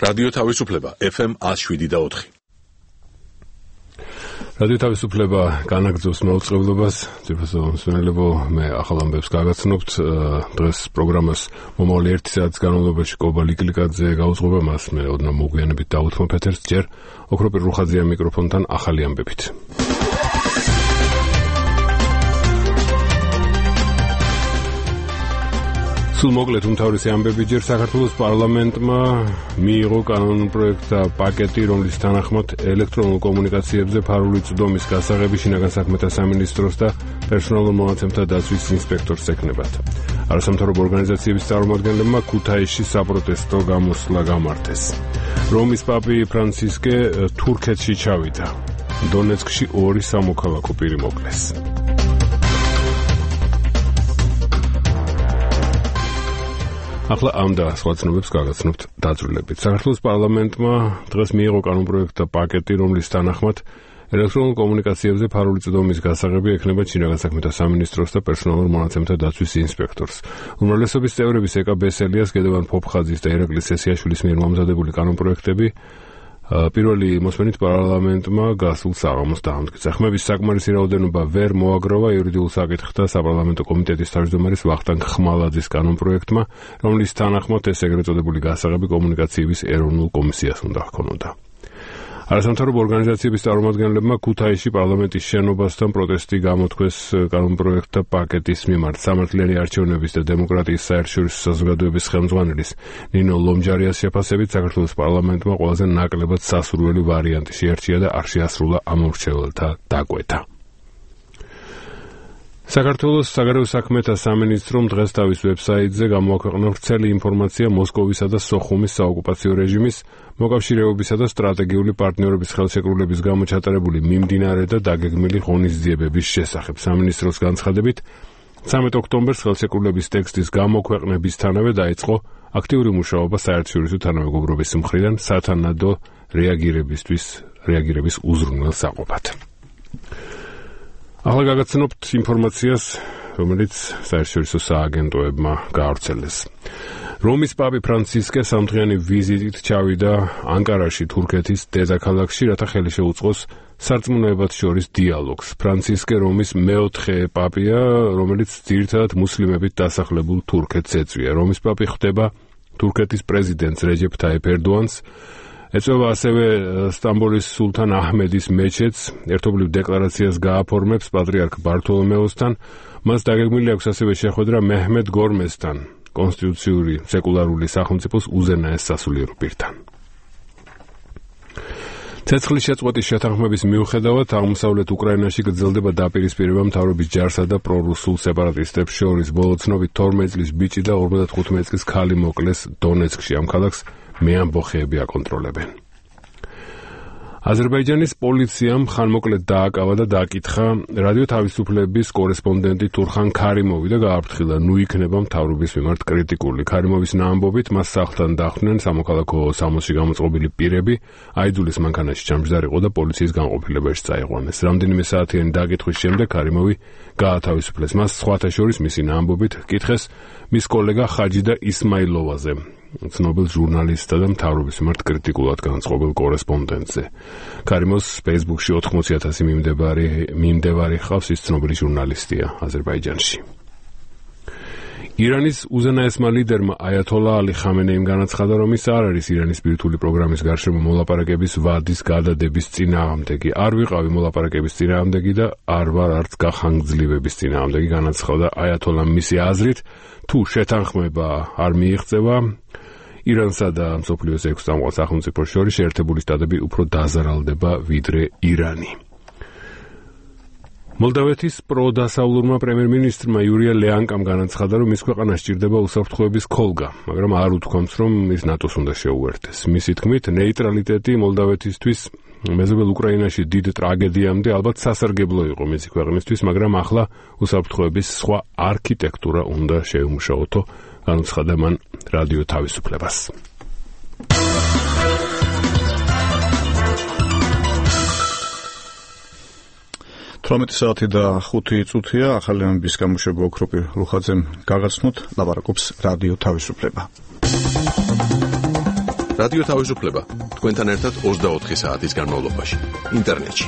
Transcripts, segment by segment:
რადიო თავისუფლება FM 107.4. რადიო თავისუფლება განაგრძობს მაუწყებლობას, ძირფასო მსმენელებო, მე ახალ ამბებს გაგაცნობთ. დღეს პროგრამას მომავალი 1 საათის განმავლობაში კობა ლიკლიკაძე გაუძღვება, მას მე ოდნავ მოგვიანებით დავუთმო ფეთერს, ჯერ ოქროპირ რუხაძეა მიკროფონთან ახალი ამბებით. მოკლედ უმთავრესი ამბები ჯერ საქართველოს პარლამენტმა მიიღო კანონპროექტთა პაკეტი, რომლის თანახმად ელექტრონულ კომუნიკაციებზე ფარული წვდომის გასაღები შინაგან საქმეთა სამინისტროს და პერსონალურ მონაცემთა დაცვის ინსპექტორს ეკნებათ. არასამთავრობო ორგანიზაციების წარმომადგენლებმა ქუთაისში საპროტესტო გამოსვლა გამართეს. რომის პაპი ფრანცისკე თურქეთში ჩავიდა. დონეცკში 2 სამოქალაქო პირი მოკლეს. ახლა ამ და სხვა ცნობებს გაგაცნობთ დაწვრილებით. საქართველოს პარლამენტმა დღეს მიიღო კანონპროექტთა პაკეტი, რომლის თანახმად ელექტრონულ კომუნიკაციებზე ფარული წვდომის გასაღები ექნება შინაგან საქმეთა სამინისტროს და პერსონალურ მონაცემთა დაცვის ინსპექტორს. უმრავლესობის წევრების ეკა ბესელიას, გედევან ფოფხაძის და ერაკლი სესიაშვილის მიერ მომზადებული კანონპროექტები პირველი მოსმენით პარლამენტმა გასულ საღამოს დაამტკიცა. ხმების საკმარისი რაოდენობა ვერ მოაგროვა იურიდიულ საკითხთა საპარლამენტო კომიტეტის თავმჯდომარის ვახტანგ ხმალაძის კანონპროექტმა, რომლის თანახმად ეს ეგრეთ წოდებული გასაღები კომუნიკაციების ეროვნულ კომისიას უნდა ჰქონოდა. არასამთავრობო ორგანიზაციების წარმომადგენლებმა ქუთაისში პარლამენტის შენობასთან პროტესტი გამოთქვეს კანონპროექტთა პაკეტის მიმართ. სამართლიანი არჩევნების და დემოკრატიის საერთაშორისო საზოგადოების ხელმძღვანელის ნინო ლომჯარიას შეფასებით საქართველოს პარლამენტმა ყველაზე ნაკლებად სასურველი ვარიანტი შეარჩია და არ შეასრულა ამორჩეველთა დაკვეთა. საქართველოს საგარეო საქმეთა სამინისტრომ დღეს თავის ვებსაიტზე გამოაქვეყნა ვრცელი ინფორმაცია მოსკოვისა და სოხუმის საოკუპაციო რეჟიმის მოკავშირეობისა და სტრატეგიული პარტნიორობის ხელშეკრულების გამო ჩატარებული მიმდინარე და დაგეგმილი ღონისძიებების შესახებ. სამინისტროს განცხადებით, 13 ოქტომბერს ხელშეკრულების ტექსტის გამოქვეყნებისთანავე დაიწყო აქტიური მუშაობა საერთაშორისო თანამეგობრობის მხრიდან სათანადო რეაგირების უზრუნველსაყოფად. ახლა გაგაცნობთ ინფორმაციას, რომელიც საერთაშორისო სააგენტოებმა გაავრცელეს. რომის პაპი ფრანცისკე სამდღიანი ვიზიტით ჩავიდა ანკარაში, თურქეთის დედაქალაქში, რათა ხელი შეუწყოს სარწმუნოებად შორის დიალოგს. ფრანცისკე რომის მეოთხე პაპია, რომელიც ძირითადად მუსლიმებით დასახლებულ თურქეთს ეწვია. რომის პაპი ხვდება თურქეთის პრეზიდენტს რეჯეფ თაიფ ერდოანს, ეწვევა ასევე სტამბოლის სულთან აჰმედის მეჩეთს, ერთობლივ დეკლარაციას გააფორმებს პატრიარქ ბართოლომეოსთან, მას დაგეგმილი აქვს ასევე შეხვედრა მეჰმედ გორმესთან, კონსტიტუციური სეკულარული სახელმწიფოს უზენაეს სასულიერო პირთან. ცეცხლის შეწყვეტის შეთანხმების მიუხედავად აღმოსავლეთ უკრაინაში გრძელდება დაპირისპირება მთავრობის ჯარსა და პრორუსულ სეპარატისტებს შორის. ბოლო ცნობით 12 წლის ბიჭი და 55 წლის ქალი მოკლეს დონეცკში. ამ ქალაქს მეამბოხეები აკონტროლებენ. აზერბაიჯანის პოლიციამ ხანმოკლედ დააკავა და დააკითხა რადიო თავისუფლების კორესპონდენტი თურხან ქარიმოვი და გააფრთხილა, ნუ იქნება მთავრობის მიმართ კრიტიკული. ქარიმოვის ამბობით მას სახლთან დახვდნენ სამოქალაქო სამოსში გამოწყობილი პირები, აიძულის მანქანაში ჩამჯდარიყო და პოლიციის განყოფილებაში წაიყვანეს. რამდენიმე საათიანი დაკითხვის შემდეგ ქარიმოვი გაათავისუფლეს. მას სხვათა შორის მისი ამბობით კითხეს მის კოლეგა ხაჯიდა ისმაილოვაზე, ცნობილ ჟურნალისტსა და მთავრობის მიმართ კრიტიკულად განწყობილ კორესპონდენტზე. ქარიმოვს Facebook-ში 80,000 მიმდევარი ჰყავს, ის ცნობილი ჟურნალისტია აზერბაიჯანში. ირანის უზენაესმა ლიდერმა აიათოლა ალი ხამენეიმ განაცხადა, რომ ის არ არის ირანის ბირთვული პროგრამის გარშემო მოლაპარაკების ვადის გადადების წინააღმდეგი. არ ვიყავი მოლაპარაკების წინააღმდეგი და არ ვარ არც გახანგრძლივების წინააღმდეგი, განაცხადა აიათოლამ. მისი აზრით, თუ შეთანხმება არ მიიღწევა, ირანსა და მსოფლიოს 6 წამყვან სახელმწიფოს შორის შეერთებული შტატები უფრო დაზარალდება ვიდრე ირანი. მოლდავეთის პროდასავლურმა პრემიერ-მინისტრმა იურია ლეანკამ განაცხადა, რომ მის ქვეყანას სჭირდება უსაფრთხოების ქოლგა, მაგრამ არ უთქვამს, რომ ის ნატოს უნდა შეუერთდეს. მისი თქმით, ნეიტრალიტეტი მოლდავეთისთვის მეზობელ უკრაინაში დიდ ტრაგედიამდე ალბათ სასარგებლო იყო მისი ქვეყნისთვის, მაგრამ ახლა უსაფრთხოების სხვა არქიტექტურა უნდა შეუმუშაოთო, განუცხადა მან რადიო თავისუფლებას. 18 საათი და 5 წუთია. ახალი ამბის გამოშვება ოქროპირ რუხაძემ გაგაცნოთ, ლაპარაკობს რადიო თავისუფლება. რადიო თავისუფლება თქვენთან ერთად 24 საათის განმავლობაში ინტერნეტში.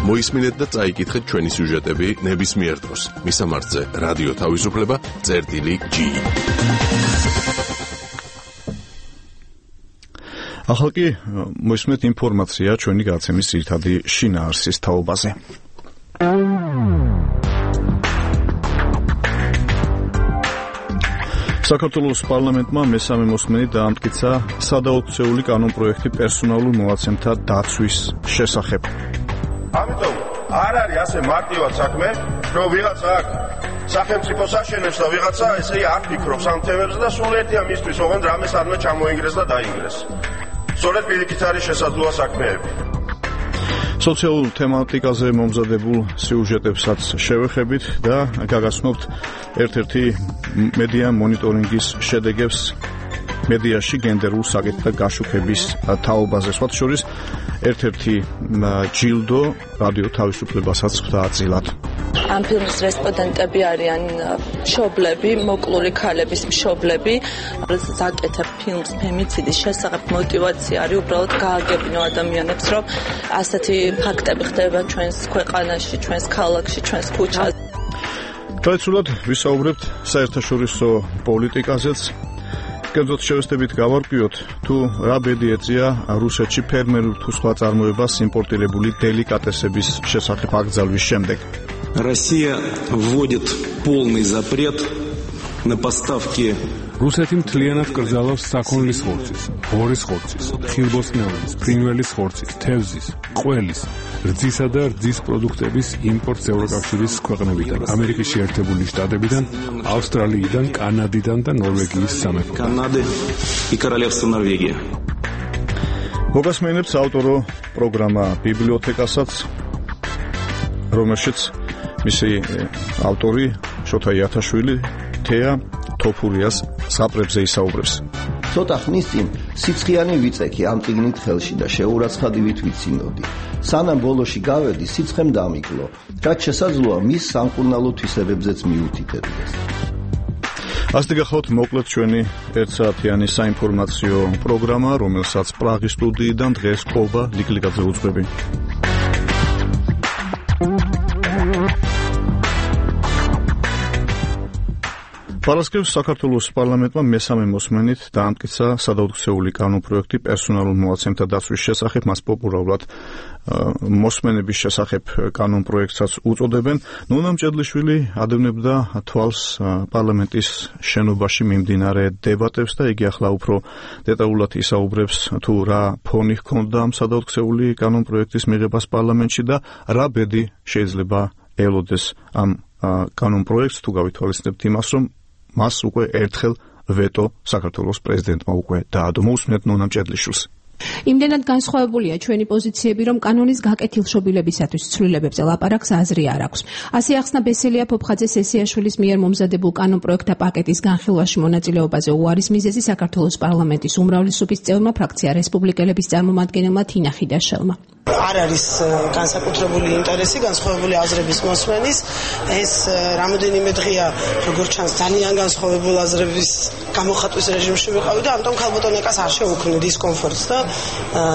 მოისმინეთ და წაიკითხეთ ჩვენი სიუჟეტები ნებისმიერ დროს. მისამართზე რადიო თავისუფლება.gi. ახლა კი მოისმენთ ინფორმაცია ჩვენი გადაცემის ძირითადი შინაარსის თაობაზე. საქართველოს პარლამენტმა მესამე მოსმენით დაამტკიცა სადაოქცეული კანონპროექტი პერსონალურ მონაცემთა დაცვის შესახებ. ამიტომ არ არის ასე მარტივად საქმე, რომ ვიღაცა აქ სახელმწიფოს აშენებს და ვიღაცა ესე არ ფიქრობს ამ თემებზე და სულ ერთია მისთვის, ოღონდ რამეს არ უნდა ჩამოინგრეს და დაინგრეს. სწორედ პირიქით არის შესაძლოა საქმეები. სოციალურ თემატიკაზე მომზადებულ სიუჟეტებსაც შევეხებით და გაგაცნობთ ერთ-ერთი მედია მონიტორინგის შედეგებს მედიაში გენდერულ საკითხთა გაშუქების თაობაზე. სხვათა შორის ერთ-ერთი ჯილდო რადიო თავისუფლებასაც ხვდა წილად. ამ ფილმის რესპონდენტები არიან მშობლები, მოკლული ქალების მშობლები. ზაკეთებ ფილმს ფემიციდის შესახებ მოტივაცია არის უბრალოდ გააგებინო ადამიანებს, რომ ასეთი ფაქტები ხდება ჩვენს ქვეყანაში, ჩვენს ქალაქში, ჩვენს ქუჩაზე. ტრადიციულად ვისაუბრებთ საერთაშორისო პოლიტიკაზეც. კერძოდ შევესწრებით გავარკვიოთ, თუ რა ბედი ეწია რუსეთში ფერმერულ თუ სხვა წარმოებას იმპორტირებული деликатесების შესახებ აკრძალვის შემდეგ. Россия вводит полный запрет на поставки. რუსეთი მთლიანად კრძალავს საქონლის ხორცის, ღორის ხორცის, ხილბოსტნეულის, ფრინველის ხორცის, თევზის, ყველის, რძისა და რძის პროდუქტების იმპორტს ევროკავშირის ქვეყნებიდან, ამერიკის შეერთებული შტატებიდან, ავსტრალიიდან, კანადიდან და ნორვეგიის სამეფოდან. Канады и Королевство Норвегия. მოგასმენებთ ავტორო პროგრამა ბიბლიოთეკასაც, რომელშიც მისი ავტორი შოთა იათაშვილი თეა თოფურიას საპრებზე ისაუბრებს. ცოტა ხნის წინ სიცხიანი ვიწექი ამ წიგნით ხელში და შეურაცხადივით ვიცინოდი. სანამ ბოლოში გავედი, სიცხემ დამიკლო, რაც შესაძლოა მის სამკურნალო თვისებებზეც მიუთითებდეს. ასეთი გახლავთ მოკლედ ჩვენი ერთსაათიანი საინფორმაციო პროგრამა, რომელსაც პრაღის სტუდიიდან დღეს ყობა ლიკლიკაძე უძღვები. პარასკევს საქართველოს პარლამენტმა მესამე მოსმენით დაამტკიცა სადაოქცეული კანონპროექტი პერსონალურ მონაცემთა დაცვის შესახებ, მას პოპულარულად მოსმენების შესახებ კანონპროექტსაც უწოდებენ. ნონა მჭედლიშვილი ადევნებდა თვალს პარლამენტის შენობაში მიმდინარე დებატებს და იგი ახლა უფრო დეტალურად ისაუბრებს თუ რა ფონი ჰქონდა ამ სადაოქცეული კანონპროექტის მიღებას პარლამენტში და რა ბედი შეიძლება ელოდეს ამ კანონპროექტს, თუ გავითვალისწინებთ იმას, რომ მას უკვე ერთხელ ვეტო საქართველოს პრეზიდენტმა უკვე დაადო. მოусმინეთ ნონა მჭედლიშვილს. იმდენად განსხვავებულია ჩვენი პოზიციები, რომ კანონის გაკეთილშობილებისათვის ცვლილებებზე ლაპარაკს აზრი არ აქვს. ასე ახსნა ბესელია ფოფხაძე სესიაშვილის მიერ მომზადებულ კანონპროექტთა პაკეტის განხილვაში მონაწილეობაზე უარის მიზეზი საქართველოს პარლამენტის უმრავლესობის წევრმა ფრაქცია რესპუბლიკელების წარმომადგენელმა თინა ხიდაშელმა. არ არის განსაკუთრებული ინტერესი განსხვავებული აზრების მოსმენის. ეს რამოდენიმე დღეა, როგორც ჩანს, ძალიან განსხვავებული აზრების გამოხატვის რეჟიმში ვიყავი და ამიტომ ქალბატონეკას არ შეუქმნი დისკომფორტს და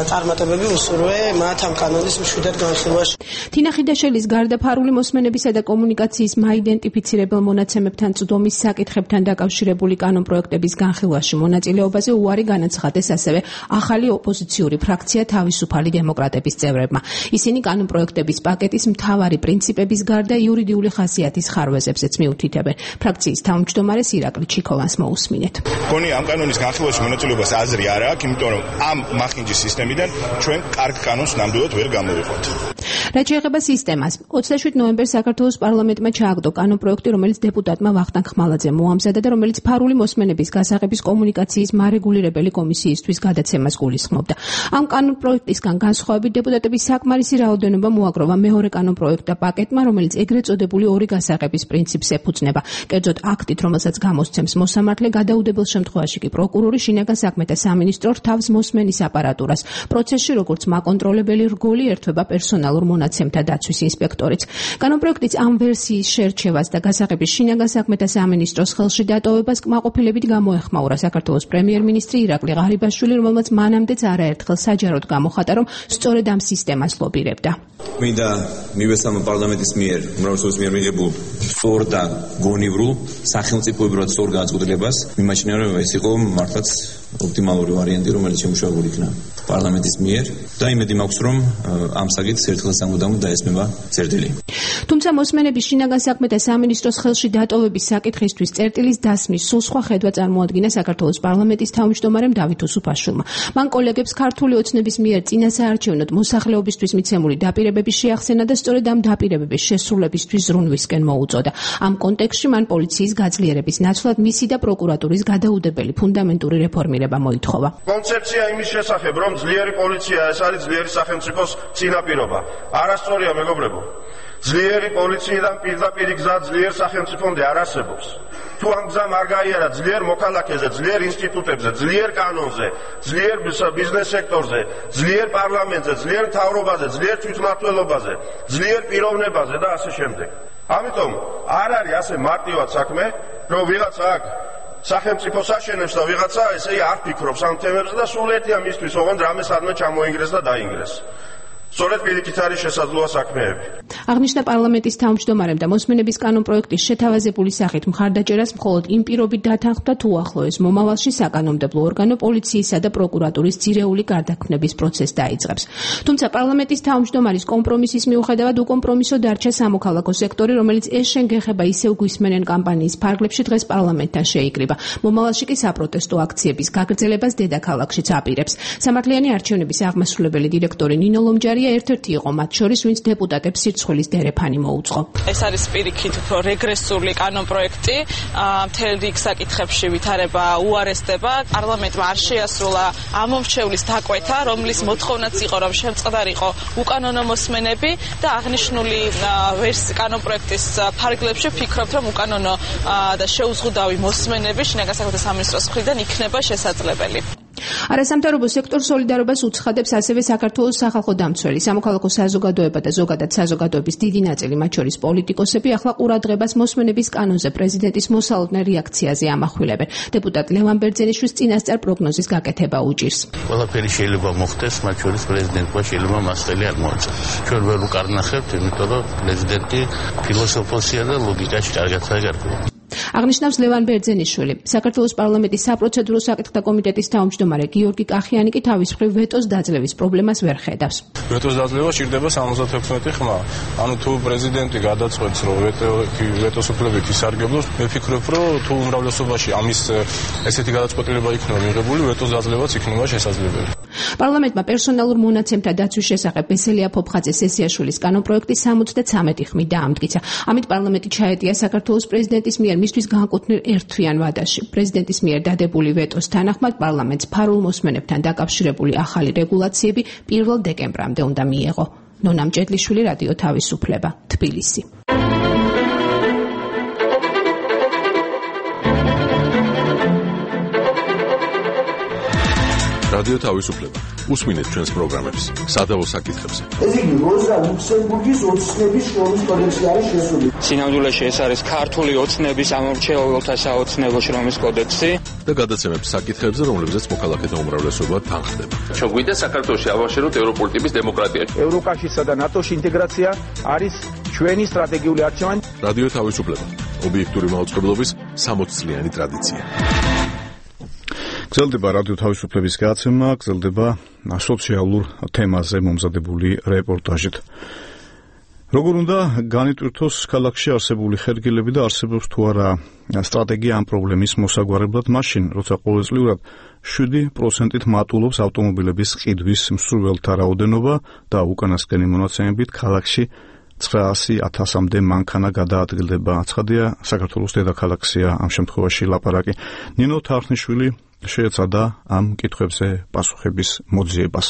წარმატებები უსურვე მათ ამ კანონის მშვიდად განხილვაში. თინა ხიდაშელის გარდა ფარული მოსმენებისა და კომუნიკაციის მაიდენტიფიცირებელ მონაცემებთან წვდომის საკითხებთან დაკავშირებული კანონპროექტების განხილვაში მონაწილეობაზე უარი განაცხადეს ასევე ახალი ოპოზიციური ფრაქცია თავისუფალი დემოკრატების წევრებმა. ისინი კანონპროექტების პაკეტის მთავარი პრინციპების გარდა იურიდიული ხასიათის ხარვეზებზეც მიუთითებენ. ფრაქციის თავმჯდომარეს ირაკლი ჩიქოვანს მოусმინეთ. მგონი ამ კანონის განხილვაში მონაწილეობას აზრი არ აქვს, იმიტომ რომ ამ მახინჯის სისტემიდან ჩვენ კარგ კანონს ნამდვილად ვერ გამოვიყვანთ. რაც შეეხება სისტემას, 27 ნოემბერს საქართველოს პარლამენტმა ჩააგდო კანონპროექტი, რომელიც დეპუტატმა ვახტანგ ხმალაძემ მოამზადა და რომელიც ფარული მოსმენების გასაღების კომუნიკაციის მარეგულირებელი კომისიისთვის გადაცემას გულისხმობდა. ამ კანონპროექტისგან განსხვავებით დეპუტატების საკმარისი რაოდენობა მოაგროვა მეორე კანონპროექტთა პაკეტმა, რომელიც ეგრეთ წოდებული ორი გასაღების პრინციპს ეფუძნება. კერძოდ აქტით, რომელსაც გამოსცემს მოსამართლე, გადაუდებელ შემთხვევაში კი პროკურორი, შინაგან საქმეთა სამინისტრო რთავს მოსმენის აპარატურას. პროცესში როგორც მაკონტროლებელი რგოლი ერთვება პერსონალურ მონაცემთა დაცვის ინსპექტორიც. კანონპროექტის ამ ვერსიის შერჩევას და გასაღების შინაგან საქმეთა სამინისტროს ხელში დატოვებას კმაყოფილებით გამოეხმაურა საქართველოს პრემიერ-მინისტრი ირაკლი ღარიბაშვილი, რომელმაც მანამდეც არაერთხელ საჯაროდ გამოხატა, რომ სწორედ ამ სისტემას ლობირებდა. მინდა მივესალმო პარლამენტის მიერ, უმრავლესობის მიერ მიღებულ სწორ და გონივრულ სახელმწიფოებრივად სწორ განწყობილებას მიმაჩნია, რომ ეს იყო მართლაც ოპტიმალური ვარიანტი, რომელიც შემუშავებული იქნა პარლამენტის მიერ და იმედი მაქვს, რომ ამ საკითხს ერთხელ სამუდამოდ დაესმება წერტილი. თუმცა მოსმენების შინაგან საქმეთა სამინისტროს ხელში დატოვების საკითხისთვის წერტილის დასმის სულ სხვა ხედვა წარმოადგინა საქართველოს პარლამენტის თავმჯდომარემ დავით უსუფაშვილმა. მან კოლეგებს ქართული ოცნების მიერ წინასაარჩევნოდ მოსახლეობისთვის მიცემული დაპირებები შეახსენა და სწორედ ამ დაპირებების შესრულებისთვის ზრუნვისკენ მოუწოდა. ამ კონტექსტში მან პოლიციის გაძლიერების ნაცვლად მისი და პროკურატურის გადაუდებელი ფუნდამენტური რეფორმირება მოითხოვა. კონცეფცია იმის შესახებ, რომ ძლიერი პოლიცია ეს არის ძლიერი სახელმწიფოს წინაპირობა. არასწორია, მეგობრებო. ძლიერი პოლიციიდან პირდაპირ გზა ძლიერ სახელმწიფომდე არ არსებობს. თუ ამ გზა არ გაიარა ძლიერ მოქალაქეზე, ძლიერ ინსტიტუტებზე, ძლიერ კანონზე, ძლიერ ბიზნეს სექტორზე, ძლიერ პარლამენტზე, ძლიერ მთავრობაზე, ძლიერ თვითმმართველობაზე, ძლიერ პიროვნებაზე და ასე შემდეგ. ამიტომ არ არის ასე მარტივად საქმე, რომ ვიღაცა აქ სახელმწიფოს აშენებს და ვიღაცა ესე არ ფიქრობს ამ თემებზე და სულ ერთია მისთვის, ოღონდ რამე სადმე ჩამოინგრეს და დაინგრეს. სწორედ პირიქით არის შესაძლოა საქმეები. აღნიშნა პარლამენტის თავმჯდომარემ და მოსმენების კანონპროექტის შეთავაზებული სახით მხარდაჭერას მხოლოდ იმ პირობით დათანხმდა, თუ ახლოეს მომავალში საკანონმდებლო ორგანო პოლიციისა და პროკურატურის ძირეული გარდაქმნების პროცესს დაიწყებს. თუმცა პარლამენტის თავმჯდომარის კომპრომისის მიუხედავად უკომპრომისო დარჩა სამოქალაქო სექტორი, რომელიც ეს შენგეხება ისევ გვისმენენ კამპანიის ფარგლებში დღეს პარლამენტთან შეიკრიბა. მომავალში კი საპროტესტო აქციების გაგრძელებას დედაქალაქშიც აპირებს. სამართლიანი არჩევნების აღმასრულებელი დირექტორი ნინო ლომჯარი ერთ-ერთი იყო მათ შორის, ვინც დეპუტატებს სირცხვილის დერეფანი მოუწყო. ეს არის პირიქით უფრო რეგრესული კანონპროექტი, მთელ რიგ საკითხებში ვითარება უარესდება. პარლამენტმა არ შეასრულა ამომრჩევლის დაკვეთა, რომლის მოთხოვნაც იყო, რომ შემწყდარიყო უკანონო მოსმენები და აღნიშნული კანონპროექტის ფარგლებში ვფიქრობთ, რომ უკანონო და შეუზღუდავი მოსმენები შინაგან საქმეთა სამინისტროს მხრიდან იქნება შესაძლებელი. არასამთავრობო სექტორ სოლიდარობას უცხადებს ასევე საქართველოს სახალხო დამცველი, სამოქალაქო საზოგადოება და ზოგადად საზოგადოების დიდი ნაწილი, მათ შორის პოლიტიკოსები, ახლა ყურადღებას მოსმენების კანონზე პრეზიდენტის მოსალოდნელ რეაქციაზე ამახვილებენ. დეპუტატ ლევან ბერძენიშვილს წინასწარ პროგნოზის გაკეთება უჭირს. ყველაფერი შეიძლება მოხდეს, მათ შორის პრეზიდენტმა შეიძლება მასწავლი არ მოაწეს. ჩვენ ვერ უკარნახებთ, იმიტომ რომ პრეზიდენტი ფილოსოფოსია და ლოგიკაში კარგადაა გარკვეული. აღნიშნავს ლევან ბერძენიშვილი. საქართველოს პარლამენტის საპროცედურო საკითხთა კომიტეტის თავმჯდომარე გიორგი კახიანი კი თავის მხრივ ვეტოს დაძლევის პრობლემას ვერ ხედავს. ვეტოს დაძლევა სჭირდება 76 ხმა. ანუ თუ პრეზიდენტი გადაწყვეტს, რომ ვეტოს უფლებებით ისარგებლოს, მე ვფიქრობ, რომ თუ უმრავლესობაში ამის ესეთი გადაწყვეტილება იქნება მიღებული, ვეტოს დაძლევაც იქნება შესაძლებელი. პარლამენტმა პერსონალურ მონაცემთა დაცვის შესახებ ბესელია ფოფხაძე სესიაშვილის კანონპროექტი 73 ხმით დაამტკიცა. ამით პარლამენტი ჩაეტია საქართველოს პრეზიდენტის მიერ მისთვის განკუთვნილ ერთთვიან ვადაში. პრეზიდენტის მიერ დადებული ვეტოს თანახმად პარლამენტს ფარულ მოსმენებთან დაკავშირებული ახალი რეგულაციები 1 დეკემბრამდე უნდა მიეღო. ნონა მჭედლიშვილი, რადიო თავისუფლება, თბილისი. რადიო თავისუფლება. უსმინეთ ჩვენს პროგრამებს, სადავო საკითხებზე. ეს იგი როზა ლუქსემბურგის ოცნების შრომის კოდექსი არის შესული. სინამდვილეში ეს არის ქართული ოცნების ამორჩეულთა საოცნებო შრომის კოდექსი და გადაცემებს საკითხებზე, რომლებზეც მოქალაქეთა უმრავლესობა თანხდება. ჩვენ გვინდა საქართველოში ავაშენოთ ევროპული ტიპის დემოკრატია. ევროკავშირსა და ნატოში ინტეგრაცია არის ჩვენი სტრატეგიული არჩევანი. რადიო თავისუფლება. ობიექტური მაუწყებლობის 60 წლიანი ტრადიცია. გრძელდება რადიო თავისუფლების გადაცემა, გრძელდება სოციალურ თემაზე მომზადებული რეპორტაჟით. როგორ უნდა განიტვირთოს ქალაქში არსებული ხერგილები და არსებობს თუ არა სტრატეგია ამ პრობლემის მოსაგვარებლად მაშინ, როცა ყოველწლიურად 7%-ით მატულობს ავტომობილების ყიდვის მსურველთა რაოდენობა და უკანასკენი მონაცემებით ქალაქში 900,000-მდე მანქანა გადაადგილდება. ცხადია, საქართველოს დედაქალაქია ამ შემთხვევაში ლაპარაკი. ნინო თარხნიშვილი შეეცადა ამ კითხვებზე პასუხების მოძიებას.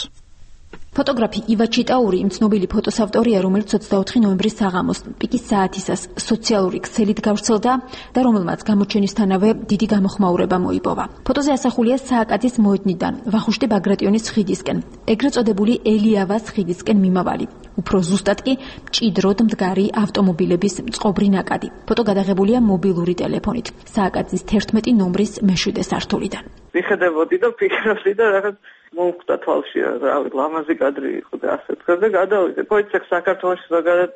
ფოტოგრაფი ივა ჩიტაური იმ ცნობილი ფოტოს ავტორია, რომელიც 24 ნოემბრის საღამოს პიკის საათისას სოციალური ქსელით გავრცელდა და რომელმაც გამოჩენისთანავე დიდი გამოხმაურება მოიპოვა. ფოტოზე ასახულია სააკაძის მოედნიდან ვახუშტი ბაგრატიონის ხიდისკენ, ეგრეთ წოდებული ელიავას ხიდისკენ მიმავალი. უფრო ზუსტად კი მჭიდროდ მდგარი ავტომობილების წყობრი ნაკადი. ფოტო გადაღებულია მობილური ტელეფონით. სააკაძის 11 ნომრის მეშვიდე სართულიდან. ვიხედებოდი და ვფიქრობდი და რაღაც მომკვდა თვალში, რავი, ლამაზი კადრი იყო და ასე თქვა და გადავიდე. მოიცეს საქართველოს ზოგადად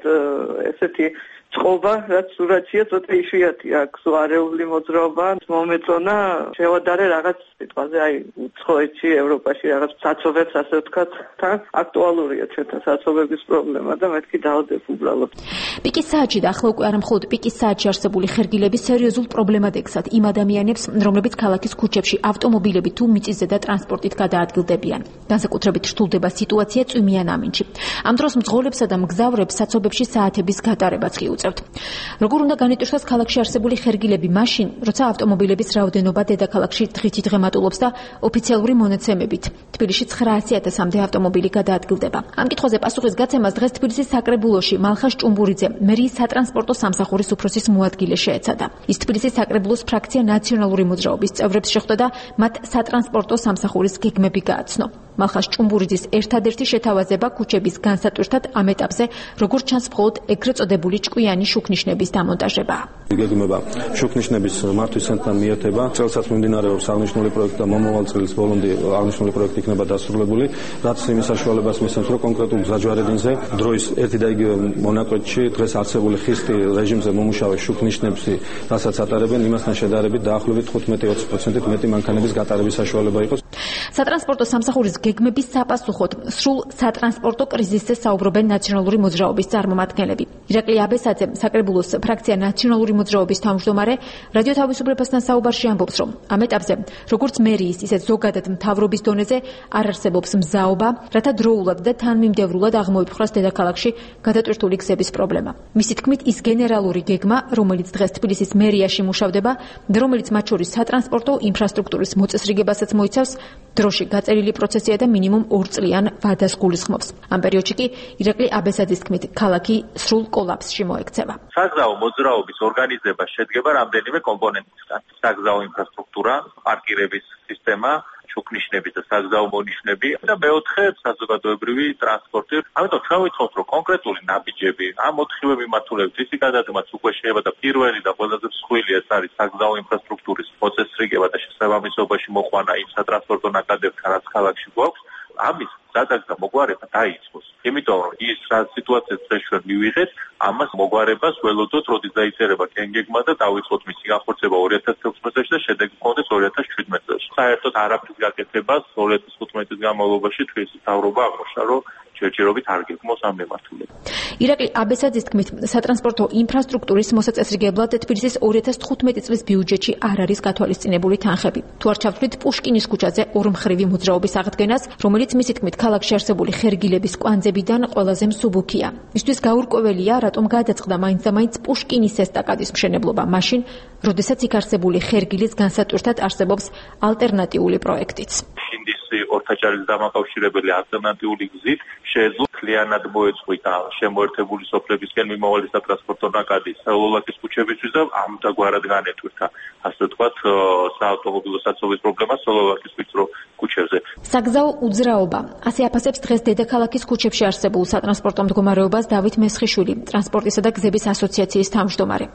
ესეთი წყობა, რაც სურათია, ცოტა იშვიათია, აქვს არეული მოძრაობა, მომეწონა, შევადარე რაღაც სიტყვაზე, აი, უცხოეთში, ევროპაში რაღაც საცობებს, ასე ვთქვათ, თან აქტუალურია ჩვენთან საცობების პრობლემა და მეთქი დავდებ უბრალოდ. პიკის საათში და ახლა უკვე არა მხოლოდ პიკის საათში არსებული ხერგილები სერიოზულ პრობლემად ექცათ იმ ადამიანებს, რომლებიც ქალაქის ქუჩებში ავტომობილებით თუ მიწისზედა და ტრანსპორტით გადაადგილდებიან. განსაკუთრებით რთულდება სიტუაცია წვიმიან ამინდში. ამ დროს მძღოლებსა და მგზავრებს საცობებში საათების გატარებაც კი როგორ უნდა განიტვირთოს ქალაქში არსებული ხერგილები მაშინ, როცა ავტომობილების რაოდენობა დედაქალაქში დღითიდღე მატულობს და ოფიციალური მონაცემებით თბილისში 900,000-მდე ავტომობილი გადაადგილდება. ამ კითხვაზე პასუხის გაცემას დღეს თბილისის საკრებულოში მალხას ჭუმბურიძე, მერიის სატრანსპორტო სამსახურის უფროსის მოადგილე შეეცადა. ის თბილისის საკრებულოს ფრაქცია ნაციონალური მოძრაობის წევრებს შეხვდა და მათ სატრანსპორტო სამსახურის გეგმები გააცნო. მალხას ჭუმბურიძის ერთადერთი შეთავაზება ქუჩების განსატვირთად ამ ეტაპზე, როგორც ჩანს, მხოლოდ ეგრეთ წოდებული ჭკვიანი შუქნიშნების დამონტაჟებაა. გეგმება შუქნიშნების მართვის ცენტრთან მიერთება. წელსაც მიმდინარეობს აღნიშნული პროექტი და მომავალ წლის ბოლომდე აღნიშნული პროექტი იქნება დასრულებული, რაც იმის საშუალებას მისცემს, რომ კონკრეტულ გზაჯვარედინზე დროის ერთი და იგივე მონაკვეთში დღეს არსებული ხისტი რეჟიმზე მომუშავე შუქნიშნებში, რასაც ატარებენ, იმასთან შედარებით დაახლოებით 15-20%-ით მეტი მანქანების გატარების საშუალება იყოს. სატრანსპორტო სამსახურის გეგმების საპასუხოდ სრულ სატრანსპორტო კრიზისზე საუბრობენ ნაციონალური მოძრაობის წარმომადგენლები. ირაკლი აბესაძე, საკრებულოს ფრაქცია ნაციონალური მოძრაობის თავმჯდომარე, რადიო თავისუფლებასთან საუბარში ამბობს, რომ ამ ეტაპზე, როგორც მერიის, ისე ზოგადად მთავრობის დონეზე არ არსებობს მზაობა, რათა დროულად და თანმიმდევრულად აღმოიფხვრას დედაქალაქში გადატვირთული გზების პრობლემა. მისი თქმით, ის გენერალური გეგმა, რომელიც დღეს თბილისის მერიაში მუშავდება და რომელიც მათ შორის სატრანსპორტო ინფრასტრუქტურის მოწესრიგებასაც მოიცავს, დროში გაწერილი პროცესია და მინიმუმ 2 წლიან ვადას გულისხმობს. ამ პერიოდში კი ირაკლი აბესაძის თქმით, ქალაქი სრულ კოლაფსში მოექცევა. საგზაო მოძრაობის ორგანიზება შედგება რამდენიმე კომპონენტისგან. საგზაო ინფრასტრუქტურა, პარკირების სისტემა, შუქნიშნების და საგზაო მონიშნები და მეოთხე საზოგადოებრივი ტრანსპორტი. ამიტომ ჩვენ ვიცხობთ, რომ კონკრეტული ნაბიჯები ამ 4 მიმართულებით ისი გადადგმაც უკვე შეიძლება და პირველი და ყველაზე მსხვილი ეს არის საგზაო ინფრასტრუქტურის მოწესრიგება და შესაბამისობაში მოყვანა იმ სატრანსპორტო ნაკადებთან, რაც ქალაქში გვაქვს. ამის გადაგდა მოგვარება დაიწყოს. იმიტომ რომ ის სიტუაცია დღეს ჩვენ მივიღეთ, ამას მოგვარებას ველოდოთ, როდის დაიწერება კენგეგმა და დავიწყოთ მისი განხორციელება 2016 წელს და შედეგი გქონდეს 2017 წელს. საერთოდ არაფრის გაკეთებას 2015 წლის განმავლობაში თბილისის მთავრობა აღმოჩნდა, რომ ჯერჯერობით არ გეგმოს ამ მიმართულებით. ირაკლი აბესაძის თქმით, სატრანსპორტო ინფრასტრუქტურის მოსაწესრიგებლად თბილისის 2015 წლის ბიუჯეტში არ არის გათვალისწინებული თანხები. თუ არ ჩავთვლით პუშკინის ქუჩაზე ორმხრივი მოძრაობის აღდგენას, რომელიც მისი თქმით ქალაქში არსებული ხერგილების კვანძებიდან ყველაზე მსუბუქია. მისთვის გაურკვეველია, რატომ გადაწყდა მაინც და მაინც პუშკინის ესტაკადის მშენებლობა მაშინ, როდესაც იქ არსებული ხერგილის განსატვირთად არსებობს ალტერნატიული პროექტიც. ორთაჭარის დამაკავშირებელი ალტერნატიული გზით შეეძლო მთლიანად მოეწყვიტა შემოერთებული სოფლებისკენ მიმავალი სატრანსპორტო ნაკადი სელოლაკის ქუჩებისთვის და ამგვარად განეტვირთა, ასე ვთქვათ, საავტომობილო საცობის პრობლემა სელოლაკის ვიწრო ქუჩებზე. საგზაო უძრაობა. ასე აფასებს დღეს დედაქალაქის ქუჩებში არსებულ სატრანსპორტო მდგომარეობას დავით მესხიშვილი, ტრანსპორტისა და გზების ასოციაციის თავმჯდომარე.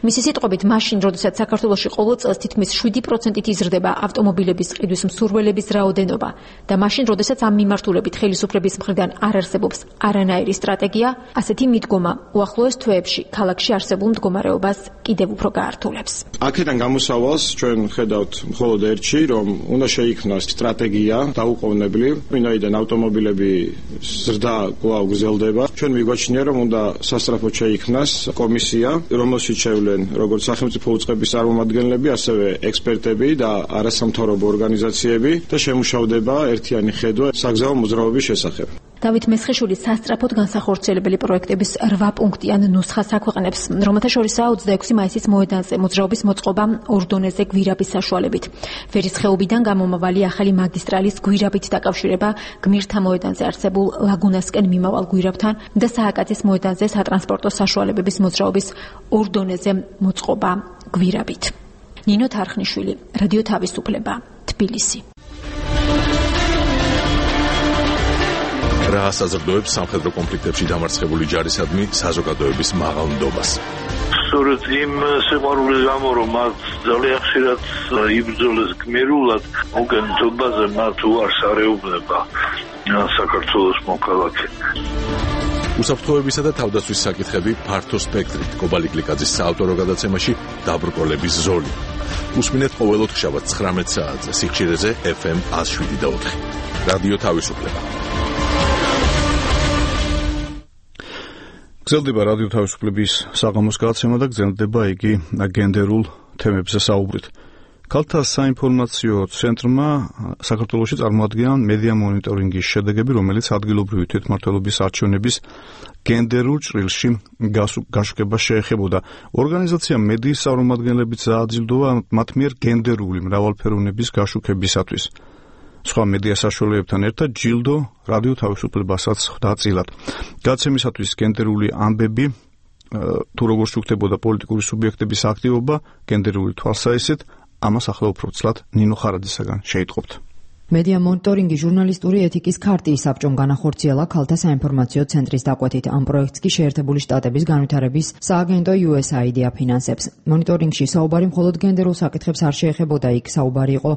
მისი სიტყვებით, მაშინ, როდესაც საქართველოში ყოველ წელს თითქმის 7%-ით იზრდება ავტომობილების ყიდვის მსურველების რაოდენობა და მაშინ, როდესაც ამ მიმართულებით ხელისუფლების მხრიდან არ არსებობს არანაირი სტრატეგია, ასეთი მიდგომა უახლოეს თვეებში ქალაქში არსებულ მდგომარეობას კიდევ უფრო გაართულებს. აქედან გამოსავალს ჩვენ ხედავთ მხოლოდ ერთში, რომ უნდა შეიქმნას სტრატეგია დაუყოვნებლივ, ვინაიდან ავტომობილები ზრდა კვლავ გრძელდება. ჩვენ მიგვაჩნია, რომ უნდა სასწრაფოდ შეიქმნას კომისია, რომელშიც შევლენ როგორც სახელმწიფო უწყების წარმომადგენლები, ასევე ექსპერტები და არასამთავრობო ორგანიზაციები და შემუშავდება ერთიანი ხედვა საგზაო მოძრაობის შესახებ. დავით მესხიშვილის სასწრაფოდ განსახორციელებელი პროექტების 8 პუნქტიან ნუსხას აქვეყნებს, რომელთა შორისაა 26 მაისის მოედანზე მოძრაობის მოწყობა ორ დონეზე გვირაბის საშუალებით. ვერის ხეობიდან გამომავალი ახალი მაგისტრალის გვირაბით დაკავშირება გმირთა მოედანზე არსებულ ლაგუნასკენ მიმავალ გვირაბთან და სააკაძის მოედანზე სატრანსპორტო საშუალებების მოძრაობის ორ დონეზე მოწყობა გვირაბით. ნინო თარხნიშვილი, რადიო თავისუფლება, თბილისი. რა ასაზრდოებს სამხედრო კონფლიქტებში დამარცხებული ჯარისადმი საზოგადოების მაღალ ნდობას. სწორედ იმ სიყვარულის გამო, რომ მათ ძალიან ხშირად იბრძოლეს გმირულად, მოგენთობაზე მათ უარს არეუბნება საქართველოს მოქალაქე. უსაფრთხოებისა და თავდაცვის საკითხები ფართო სპექტრით კობალი გლიკაძის საავტორო გადაცემაში დაბრკოლების ზოლი. უსმინეთ ყოველ ოთხშაბათს 19 საათზე სიხშირეზე FM 107.4. რადიო თავისუფლება. გრძელდება რადიო თავისუფლების საღამოს გადაცემა და გრძელდება იგი გენდერულ თემებზე საუბრით. ქალთა საინფორმაციო ცენტრმა საქართველოში წარმოადგენა მედია მონიტორინგის შედეგები, რომელიც ადგილობრივი თვითმმართველობის არჩევნების გენდერულ ჭრილში გაშუქებას შეეხებოდა. ორგანიზაცია მედიის წარმომადგენლებიც ააძილდოვა მათ მიერ გენდერული მრავალფეროვნების გაშუქებისათვის. სხვა მედია საშუალებებთან ერთად ჯილდო რადიო თავისუფლებასაც ხვდა წილად. გადაცემისათვის გენდერული ამბები თუ როგორ შუქდებოდა პოლიტიკური სუბიექტების აქტივობა გენდერული თვალსაჩინით, ამას ახლა უფრო ცლად ნინო ხარაძისაგან შეიტყობთ. მედია მონიტორინგი ჟურნალისტური ეთიკის ქარტიის საბჭომ განახორციელა ქალთა საინფორმაციო ცენტრის დაკვეთით. ამ პროექტს კი შეერთებული შტატების განვითარების სააგენტო USAID აფინანსებს. მონიტორინგში საუბარი მხოლოდ გენდერულ საკითხებს არ შეეხებოდა, იქ საუბარი იყო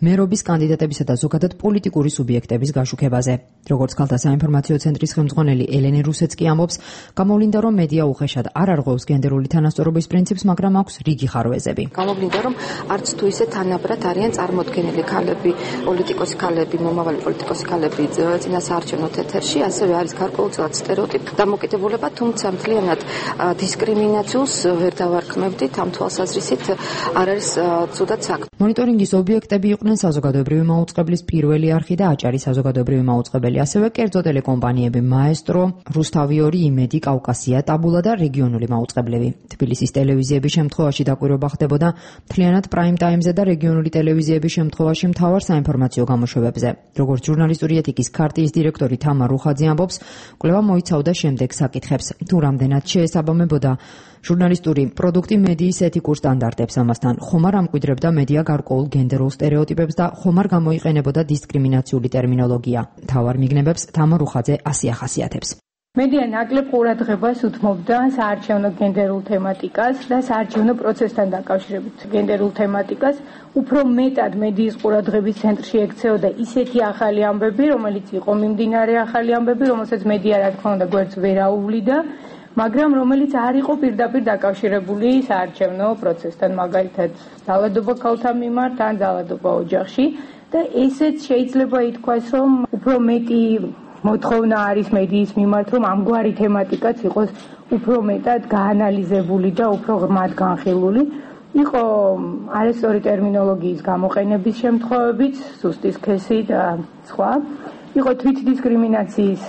მერობის კანდიდატებისა და ზოგადად პოლიტიკური სუბიექტების გაშუქებაზე. როგორც ქალთა საინფორმაციო ცენტრის ხელმძღვანელი ელენე რუსეც კი ამბობს, გამოვლინდა, რომ მედია უხეშად არ არღვევს გენდერული თანასწორობის პრინციპს, მაგრამ აქვს რიგი ხარვეზები. გამოვლინდა, რომ არც თუ ისე თანაბრად არიან წარმოდგენილი ქალები, პოლიტიკოსი ქალები, მომავალი პოლიტიკოსი ქალები წინასაარჩევნო ეთერში, ასევე არის გარკვეულწილად სტერეოტიპი დამოკიდებულება, თუმცა მთლიანად დისკრიმინაციას ვერ დავარქმევდით, ამ თვალსაზრისით არ არის ცუდად საქმე. მონიტორინგის ობიექტები იყვნენ საზოგადოებრივი მაუწყებლის პირველი არხი და აჭარი საზოგადოებრივი მაუწყებელი, ასევე კერძო ტელეკომპანიები მაესტრო, რუსთავი 2, იმედი, კავკასია, ტაბულა და რეგიონული მაუწყებლები. თბილისის ტელევიზიების შემთხვევაში დაკვირვება ხდებოდა მთლიანად პრაიმ ტაიმზე და რეგიონული ტელევიზიების შემთხვევაში მთავარ საინფორმაციო გამოშვებებზე. როგორც ჟურნალისტური ეთიკის ქარტიის დირექტორი თამა რუხაძე ამბობს, კვლევა მოიცავდა შემდეგ საკითხებს: თუ რამდენად შეესაბამებოდა ჟურნალისტური პროდუქტი მედიის ეთიკურ სტანდარტებს, ამასთან ხომ არ ამკვიდრებდა მედია გარკვეულ გენდერულ სტერეოტიპებს და ხომ არ გამოიყენებოდა დისკრიმინაციული ტერმინოლოგია. მთავარ მიგნებებს თამა რუხაძე ასე ახასიათებს. მედია ნაკლებ ყურადღებას უთმობდა საარჩევნო გენდერულ თემატიკას და საარჩევნო პროცესთან დაკავშირებით გენდერულ თემატიკას. უფრო მეტად მედიის ყურადღების ცენტრში ექცეოდა ისეთი ახალი ამბები, რომელიც იყო მიმდინარე ახალი ამბები, რომელსაც მედია რა თქმა უნდა გვერდს ვერ აუვლიდა, მაგრამ რომელიც არ იყო პირდაპირ დაკავშირებული საარჩევნო პროცესთან, მაგალითად ძალადობა ქალთა მიმართ ან ძალადობა ოჯახში და ესეც შეიძლება ითქვას, რომ უფრო მეტი მოთხოვნა არის მედიის მიმართ, რომ ამგვარი თემატიკაც იყოს უფრო მეტად გაანალიზებული და უფრო ღრმად განხილული. იყო არასწორი ტერმინოლოგიის გამოყენების შემთხვევებიც, ზუსტი სქესი და სხვა. იყო თვითდისკრიმინაციის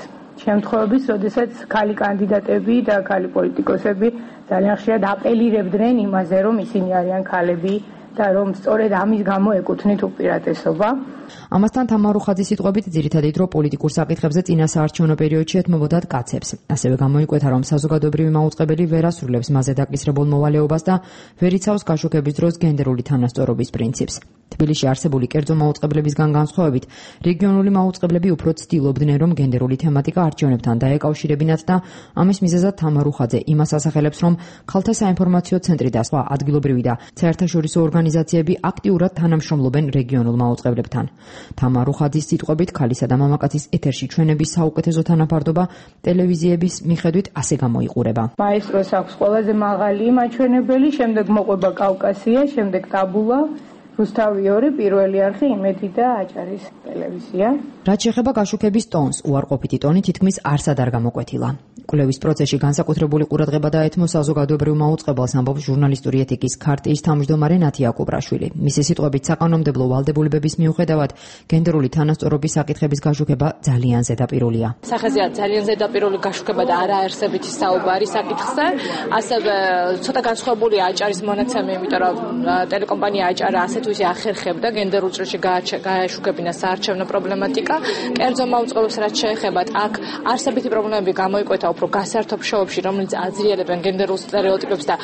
შემთხვევებიც, როდესაც ქალი კანდიდატები და ქალი პოლიტიკოსები ძალიან ხშირად აპელირებდნენ იმაზე, რომ ისინი არიან ქალები და რომ სწორედ ამის გამო ეკუთვნით უპირატესობა. ამასთან თამა რუხაძის სიტყვებით ძირითადი დრო პოლიტიკურ საკითხებზე წინასაარჩევნო პერიოდში ეთმობოდათ კაცებს. ასევე გამოიკვეთა, რომ საზოგადოებრივი მაუწყებელი ვერ ასრულებს მასზე დაკისრებულ მოვალეობას და ვერ იცავს გაშუქების დროს გენდერული თანასწორობის პრინციპს. თბილისში არსებული კერძო მაუწყებლებისგან განსხვავებით, რეგიონული მაუწყებლები უფრო ცდილობდნენ, რომ გენდერული თემატიკა არჩევნებთან დაეკავშირებინათ და ამის მიზეზად თამა რუხაძე იმას ასახელებს, რომ ქალთა საინფორმაციო ცენტრი და სხვა ადგილობრივი და საერთაშორისო ორგანიზაციები აქტიურად თანამშრომლობენ რეგიონულ მაუწყებლებთან. თამა რუხაძის სიტყვებით, ქალისა და მამაკაცის ეთერში ჩვენების საუკეთესო თანაფარდობა ტელევიზიების მიხედვით ასე გამოიყურება. მაესტროს აქვს ყველაზე მაღალი მაჩვენებელი, შემდეგ მოყვება კავკასია, შემდეგ ტაბულა, რუსთავი 2, პირველი არხი, იმედი და აჭარის ტელევიზია. რაც შეეხება გაშუქების ტონს, უარყოფითი ტონი თითქმის არსად არ გამოკვეთილა. კვლევის პროცესში განსაკუთრებული ყურადღება დაეთმო საზოგადოებრივ მაუწყებელს, ამბობს ჟურნალისტური ეთიკის ქარტიის თავმჯდომარე ნათია კუბრაშვილი. მისი სიტყვებით, საკანონმდებლო ვალდებულებების მიუხედავად, გენდერული თანასწორობის საკითხების გაშუქება ძალიან ზედაპირულია. სახეზეა ძალიან ზედაპირული გაშუქება და არაარსებითი საუბარი საკითხზე. ასევე ცოტა განსხვავებულია აჭარის მონაცემი, იმიტომ რომ ტელეკომპანია აჭარა ასეთ თუ ისე ახერხებდა გენდერულ ჭრილში გააშუქებინა საარჩევნო პრობლემატიკა. კერძო მაუწყებლობს რაც შეეხებათ აქ არსებითი პრობლემები გამოიკვეთა უფრო გასართობ შოუებში, რომელიც აძრიელებენ გენდერულ სტერეოტიპებს და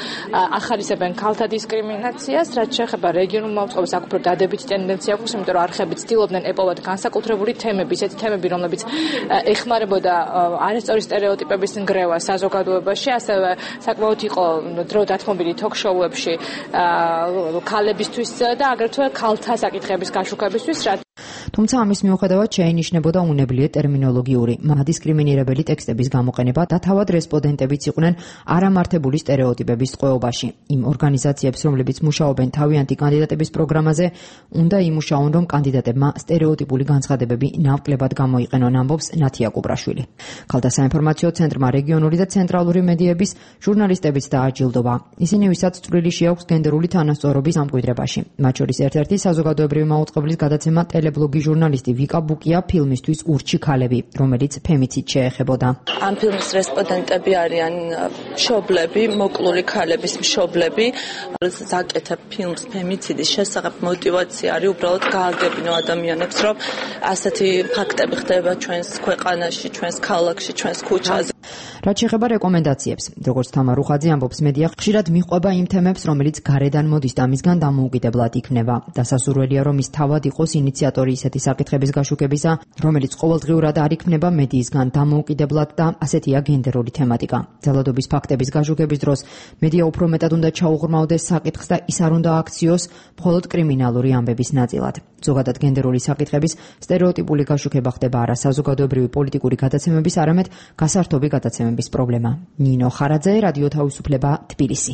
ახალისებენ ქალთა დისკრიმინაციას, რაც შეეხება რეგიონულ მაუწყებლებს, აქ უფრო დადებითი ტენდენცია აქვს, იმიტომ რომ არხები ცდილობდნენ ეპოვათ განსაკუთრებული თემები, ისეთი თემები, რომლებიც ეხმარებოდა არასწორი სტერეოტიპების ნგრევა საზოგადოებაში, ასევე საკმაოდ იყო დრო დათმობილი თოქ-შოუებში ქალებისთვის და აგრეთვე ქალთა საკითხების გაშუქებისთვის, თუმცა ამის მიუხედავად შეინიშნებოდა უნებლიე ტერმინოლოგიური მადისკრიმინირებელი ტექსტების გამოყენება და თავად რესპონდენტებიც იყვნენ არამართებული სტერეოტიპების ტყვეობაში. იმ ორგანიზაციებს, რომლებიც მუშაობენ თავიანთი კანდიდატების პროგრამაზე, უნდა იმუშაონ, რომ კანდიდატებმა სტერეოტიპული განცხადებები ნაკლებად გამოიყენონ, ამბობს ნათია კუპრაშვილი. ქალთა საინფორმაციო ცენტრმა რეგიონული და ცენტრალური მედიების ჟურნალისტებიც დააჯილდოვა. ისინი, ვისაც წვრილი შეაქვს გენდერული თანასწორობის ამკვიდრებაში. მათ შორის ერთ-ერთი საზოგადოებრივი მაუწყებლის გადაცემა ტელებლოგი ჟურნალისტი ვიკა ბუკია ფილმისთვის ურჩი ქალები, რომელიც ფემიციდ შეეხებოდა. ამ ფილმის რესპონდენტები არიან მშობლები, მოკლული ქალების მშობლები. ზაკეთებ ფილმს ფემიციდის შესახებ მოტივაცია არის უბრალოდ გააგებინო ადამიანებს, რომ ასეთი ფაქტები ხდება ჩვენს ქვეყანაში, ჩვენს ქალაქში, ჩვენს ქუჩაზე. რაც შეეხება რეკომენდაციებს, როგორც თამარ უხაძე ამბობს, მედია ხშირად მიყვება იმ თემებს, რომელიც გარედან მოდის და მისგან დამოუკიდებლად იქნება. დასასურველია, რომ ის თავად იყოს ინიციატორი ისეთი საკითხების გაშუქებისა, რომელიც ყოველდღიურად არ იქნება მედიისგან დამოუკიდებლად და ასეთია გენდერული თემატიკა. ძალადობის ფაქტების გაშუქების დროს მედია უფრო მეტად უნდა ჩაუღრმავდეს საკითხს და ის არ უნდა აქციოს მხოლოდ კრიმინალური ამბების ნაწილად. ზოგადად გენდერული საკითხების სტერეოტიპული გაშუქება ხდება არა საზოგადოებრივი პოლიტიკური გადაცემების, არამედ გასართობი გადაცემების პრობლემა. ნინო ხარაძე, რადიო თავისუფლება, თბილისი.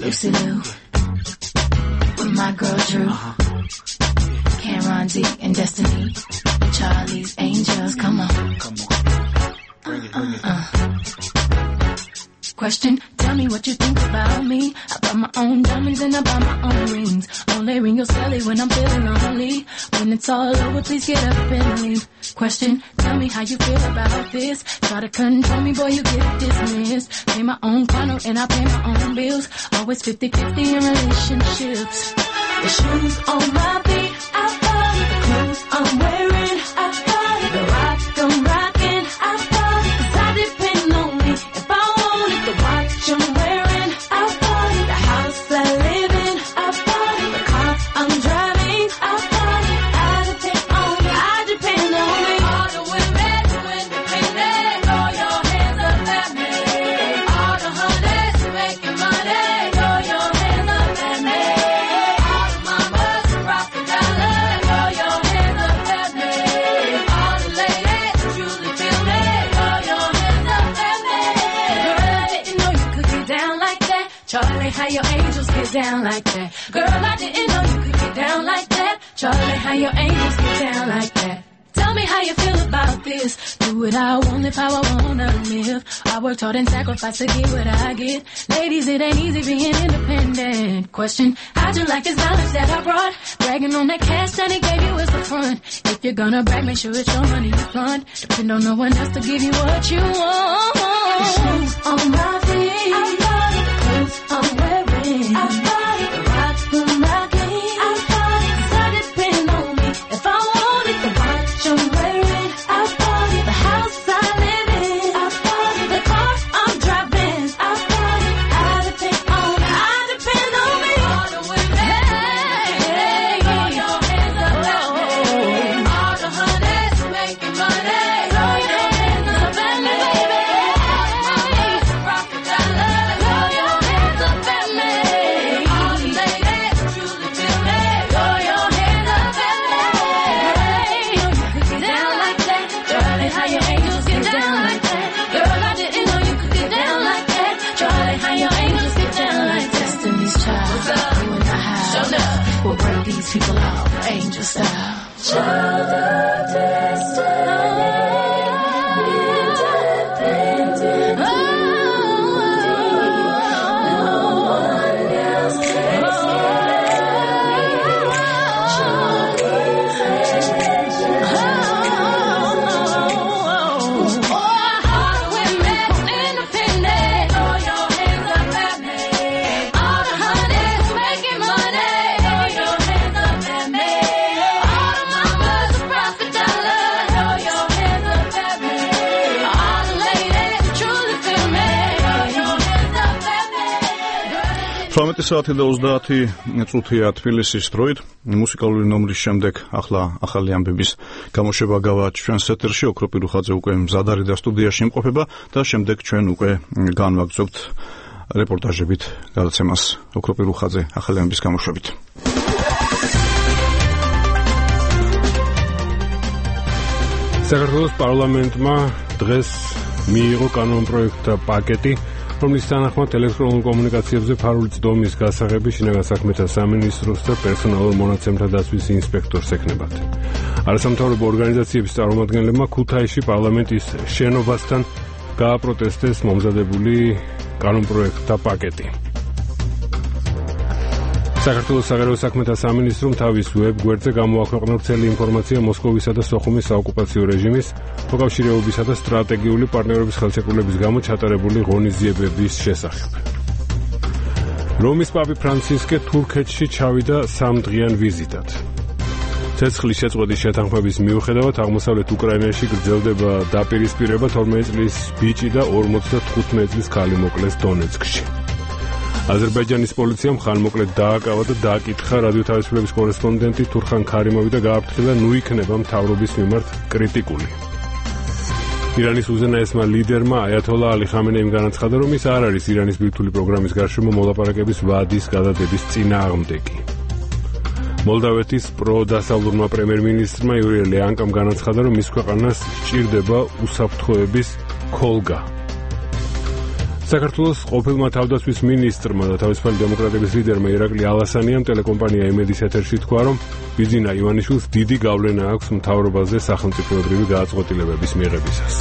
Lucy Liu with my girl Drew, Cameron D and Destiny, Charlie's Angels, come on. Question, tell me what you think about me. I buy my own diamonds and I buy my own rings. Only ring your celly when I'm feeling lonely. When it's all over, please get up and leave. Question, tell me how you feel about this. Try to control me, boy, you get dismissed. Pay my own funnel and I pay my own bills. Always 50-50 in relationships. The shoes on my feet, I bought it. The clothes I'm wearing, I bought it. The rock I'm rocking, I bought it. 'Cause I depend on me. If I want it, the watch I'm wearing, I bought it. The house I live in, I bought it. The car I'm driving, I bought it. I depend on me, I depend on me. All the women who independent, throw your hands up at me. All the honeys making money, throw your hands up at me. All the mamas who rock the dollar, throw your hands up at me. All the ladies who truly feel me, throw your hands up at me. Girl, I didn't know you could get down like that. Charlie, how your angels get down like that. Girl, I didn't know you could get down like that. Charlie, how your angels get down like that. Tell me how you feel about this. Do what I want, live how I wanna live. I worked hard and sacrificed to get what I get. Ladies, it ain't easy being independent. Question, how'd you like this balance that I brought? Bragging on that cash that he gave you is the front. If you're gonna brag, make sure it's your money you fund. Depend on no one else to give you what you want. The shoes on my feet, I bought it. The clothes I'm wearing, I bought it. The rock I'm rocking, I bought it. 'Cause I depend on me. If I want it, the watch I'm wearing, I bought it. The house I live in, I bought it. The car I'm driving, I bought it. I depend on me, I depend on me. All the women, throw your hands up at me. All the honeys making money, throw your hands up at me, baby. All the mamas rock the dollar, throw your hands up at me. 18 საათი და 30 წუთია თბილისის დროით. მუსიკალური ნომრის შემდეგ ახლა ახალი ამბების გამოშვება გავა ჩვენს ეთერში. ოქრო პირუხაძე უკვე მზად არის და სტუდიაში იმყოფება და შემდეგ ჩვენ უკვე განვაგრძობთ რეპორტაჟებით გადაცემას ოქრო პირუხაძე ახალი ამბების გამოშვებით. საქართველოს პარლამენტმა დღეს მიიღო კანონპროექტთა პაკეტი, რომლის თანახმად ელექტრონულ კომუნიკაციებზე ფარული წდომის გასაღები შინაგან საქმეთა სამინისტროს და პერსონალურ მონაცემთა დაცვის ინსპექტორს ექნებათ. არასამთავრობო ორგანიზაციების წარმომადგენლებმა ქუთაისში პარლამენტის შენობასთან გააპროტესტეს მომზადებული კანონპროექტთა პაკეტი. საქართველოს საგარეო საქმეთა სამინისტრომ თავის ვებ-გვერდზე გამოაქვეყნა ვრცელი ინფორმაცია მოსკოვისა და სოხუმის საოკუპაციო რეჟიმის მოკავშირეობისა და სტრატეგიული პარტნიორობის ხელშეკრულების გამო ჩატარებული ღონისძიებების შესახებ. რომის პაპი ფრანცისკე თურქეთში ჩავიდა 3 დღიან ვიზიტად. ცეცხლის შეწყვეტის შეთანხმების მიუხედავად აღმოსავლეთ უკრაინაში გრძელდება დაპირისპირება 12 წლის ბიჭი და 55 წლის ქალი მოკლეს დონეცკში. აზერბაიჯანის პოლიციამ ხანმოკლედ დააკავა და დააკითხა რადიო თავისუფლების კორესპონდენტი თურხან ქარიმოვი და გააფრთხილა ნუ იქნება მთავრობის მიმართ კრიტიკული. ირანის უზენაესმა ლიდერმა აიათოლა ალი ხამენეიმ განაცხადა, რომ ის არ არის ირანის ბირთვული პროგრამის გარშემო მოლაპარაკების ვადის გადადების წინააღმდეგი. მოლდავეთის პროდასავლურმა პრემიერ-მინისტრმა იური ლეანკამ განაცხადა, რომ მის ქვეყანას სჭირდება უსაფრთხოების ქოლგა. საქართველოს ყოფილმა თავდაცვის მინისტრმა და თავისუფალი დემოკრატების ლიდერმა ირაკლი ალასანიამ ტელეკომპანია იმედის ეთერში თქვა, რომ ბიძინა ივანიშვილს დიდი გავლენა აქვს მთავრობაზე სახელმწიფოებრივი გადაწყვეტილებების მიღებისას.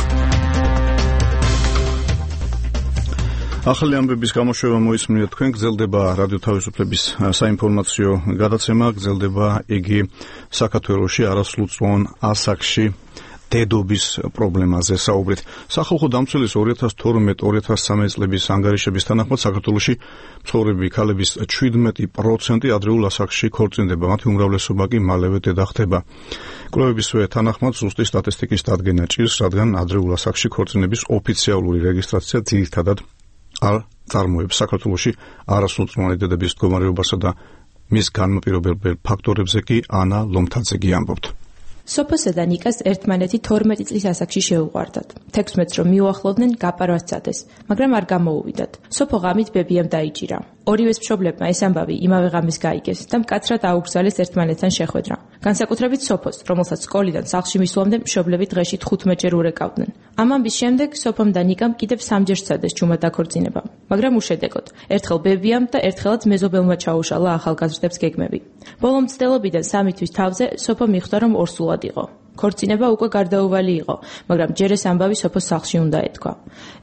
ახალი ამბების გამოშვება მოისმინეთ თქვენ. გრძელდება რადიო თავისუფლების საინფორმაციო გადაცემა, გრძელდება იგი საქართველოში არასრულწლოვან ასაკში დედობის პრობლემაზე საუბრით. სახალხო დამცველის 2012-2013 წლების ანგარიშების თანახმად საქართველოში მცხოვრები ქალების 17% ადრეულ ასაკში ქორწინდება, მათი უმრავლესობა კი მალევე დედა ხდება. კვლევებისვე თანახმად ზუსტი სტატისტიკის დადგენა ჭირს, რადგან ადრეულ ასაკში ქორწინების ოფიციალური რეგისტრაცია ძირითადად არ წარმოებს საქართველოში არასრულწლოვანი დედების მდგომარეობასა და მის განმაპირობებელ ფაქტორებზე კი ანა ლომთაძე ამბობთ. სოფოსა და ნიკას ერთმანეთი 12 წლის ასაკში შეუყვარდათ. 16 რომ მიუახლოვდნენ, გაპარვას წადეს, მაგრამ არ გამოუვიდათ. სოფო ღამით ბებიამ დაიჭირა. ორივეს მშობლებმა ეს ამბავი იმავე ღამეს გაიგეს და მკაცრად აუგზავნეს ერთმანეთთან შეხვედრა. განსაკუთრებით სოფოს, რომელსაც სკოლიდან სახლში მისვლამდე მშობლები დღეში 15-ჯერ ურეკავდნენ. ამ ამბის შემდეგ სოფომ და ნიკამ კიდევ 3-ჯერ სცადეს ჩუმად დაქორწინება, მაგრამ უშედეგოდ. ერთხელ ბებიამ და ერთხელაც მეზობელმა ჩაუშალა ახალგაზრდებს გეგმები. ბოლო მცდელობიდან 3 თვის თავზე სოფო მიხვდა, რომ ორსულად იყო. ქორწინება უკვე გარდაუვალი იყო, მაგრამ ჯერ ეს ამბავი სოფოს სახლში უნდა ეთქვა.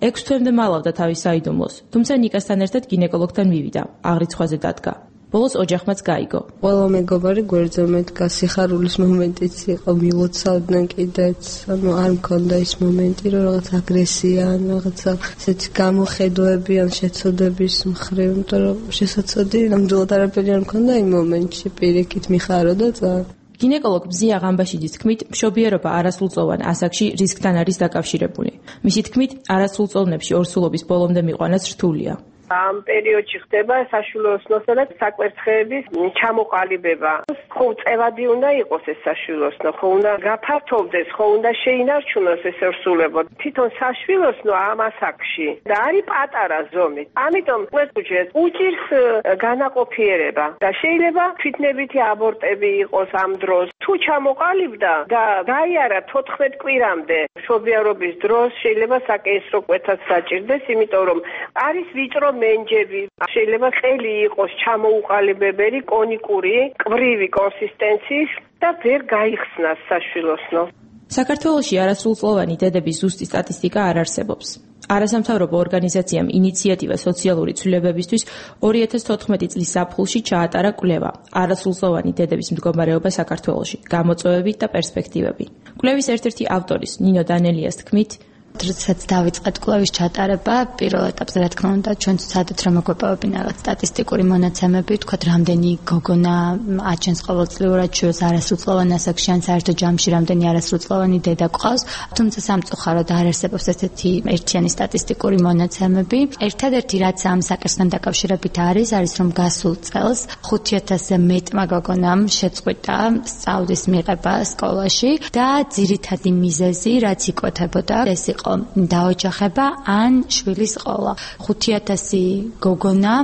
6 თვემდე მალავდა თავის საიდუმლოს, თუმცა ნიკასთან ერთად გინეკოლოგთან მივიდა, აღრიცხვაზე დადგა. ბოლოს ოჯახმაც გაიგო. ყველა მეგობარი გვერდზე მედგა, სიხარულის მომენტიც იყო, მილოცავდნენ კიდეც, არ მქონდა ის მომენტი, რომ რაღაც აგრესია, რაღაცა ესეთი გამოხედვები ან შეცოდების მხრივ, იმიტომ რომ შესაძლოა ნამდვილად არაფერი არ მქონდა იმ მომენტში, პირიქით მიხარო და წავა. გინეკოლოგ ბზია ღამბაშიძის თქმით, მშობიარობა არასრულწლოვან ასაკში რისკთან არის დაკავშირებული. მისი თქმით, არასრულწლოვნებში ორსულობის ბოლომდე მიყვანაც რთულია. ამ პერიოდში ხდება საშუალო ოსნოსა და საკვერცხეების ჩამოყალიბება. ხო წევადი უნდა იყოს ეს საშუალო ოსნო, ხო უნდა გაფართოვდეს, ხო უნდა შეინარჩუნოს ეს ორსულებო. თვითონ საშუალო ოსნო ამ ასაკში და არის პატარა ზომით. ამიტომ ყველგან უჭირს განაყოფიერება და შეიძლება თვითნებითი აბორტები იყოს ამ დროს. თუ ჩამოყალიბდა და გაიარა 14 კვირამდე მშობიარობის დროს შეიძლება საკენსრო კვეთაც საჭირდეს, იმიტომ რომ არის ვიწრო მენჯები, შეიძლება ყელი იყოს ჩამოუყალიბებელი, კონიკური, კვრივი კონსისტენციის და ვერ გაიხსნას საშვილოსნო. საქართველოში არასრულწლოვანი დედების ზუსტი სტატისტიკა არ არსებობს. არასამთავრობო ორგანიზაციამ ინიციატივა სოციალური ცვლილებებისთვის 2014 წლის ზაფხულში ჩაატარა კვლევა არასრულწლოვანი დედების მდგომარეობა საქართველოში, გამოწვევები და პერსპექტივები. კვლევის ერთ-ერთი ავტორის ნინო დანელიას თქმით, როდესაც დავიწყეთ კვლევის ჩატარება, პირველ ეტაპზე რა თქმა უნდა, ჩვენ ვცადეთ რომ მოგვეპოვებინ რაღაც სტატისტიკური მონაცემები, თქვათ რამდენი გოგონა აჩენს ყოველწლიურად ჩვენს არასრულწლოვან ასაკში ან საერთო ჯამში რამდენი არასრულწლოვანი დედა გვყავს, თუმცა სამწუხაროდ არ არსებობს ესეთი ერთიანი სტატისტიკური მონაცემები. ერთადერთი რაც ამ საკითხთან დაკავშირებით არის რომ გასულ წელს 5000-ზე მეტმა გოგონამ შეწყვიტა სწავლის მიღება სკოლაში და ძირითადი მიზეზი რაც იკვეთებოდა ეს იყო დაოჯახება ან შვილის ყოლა. 5000 გოგონა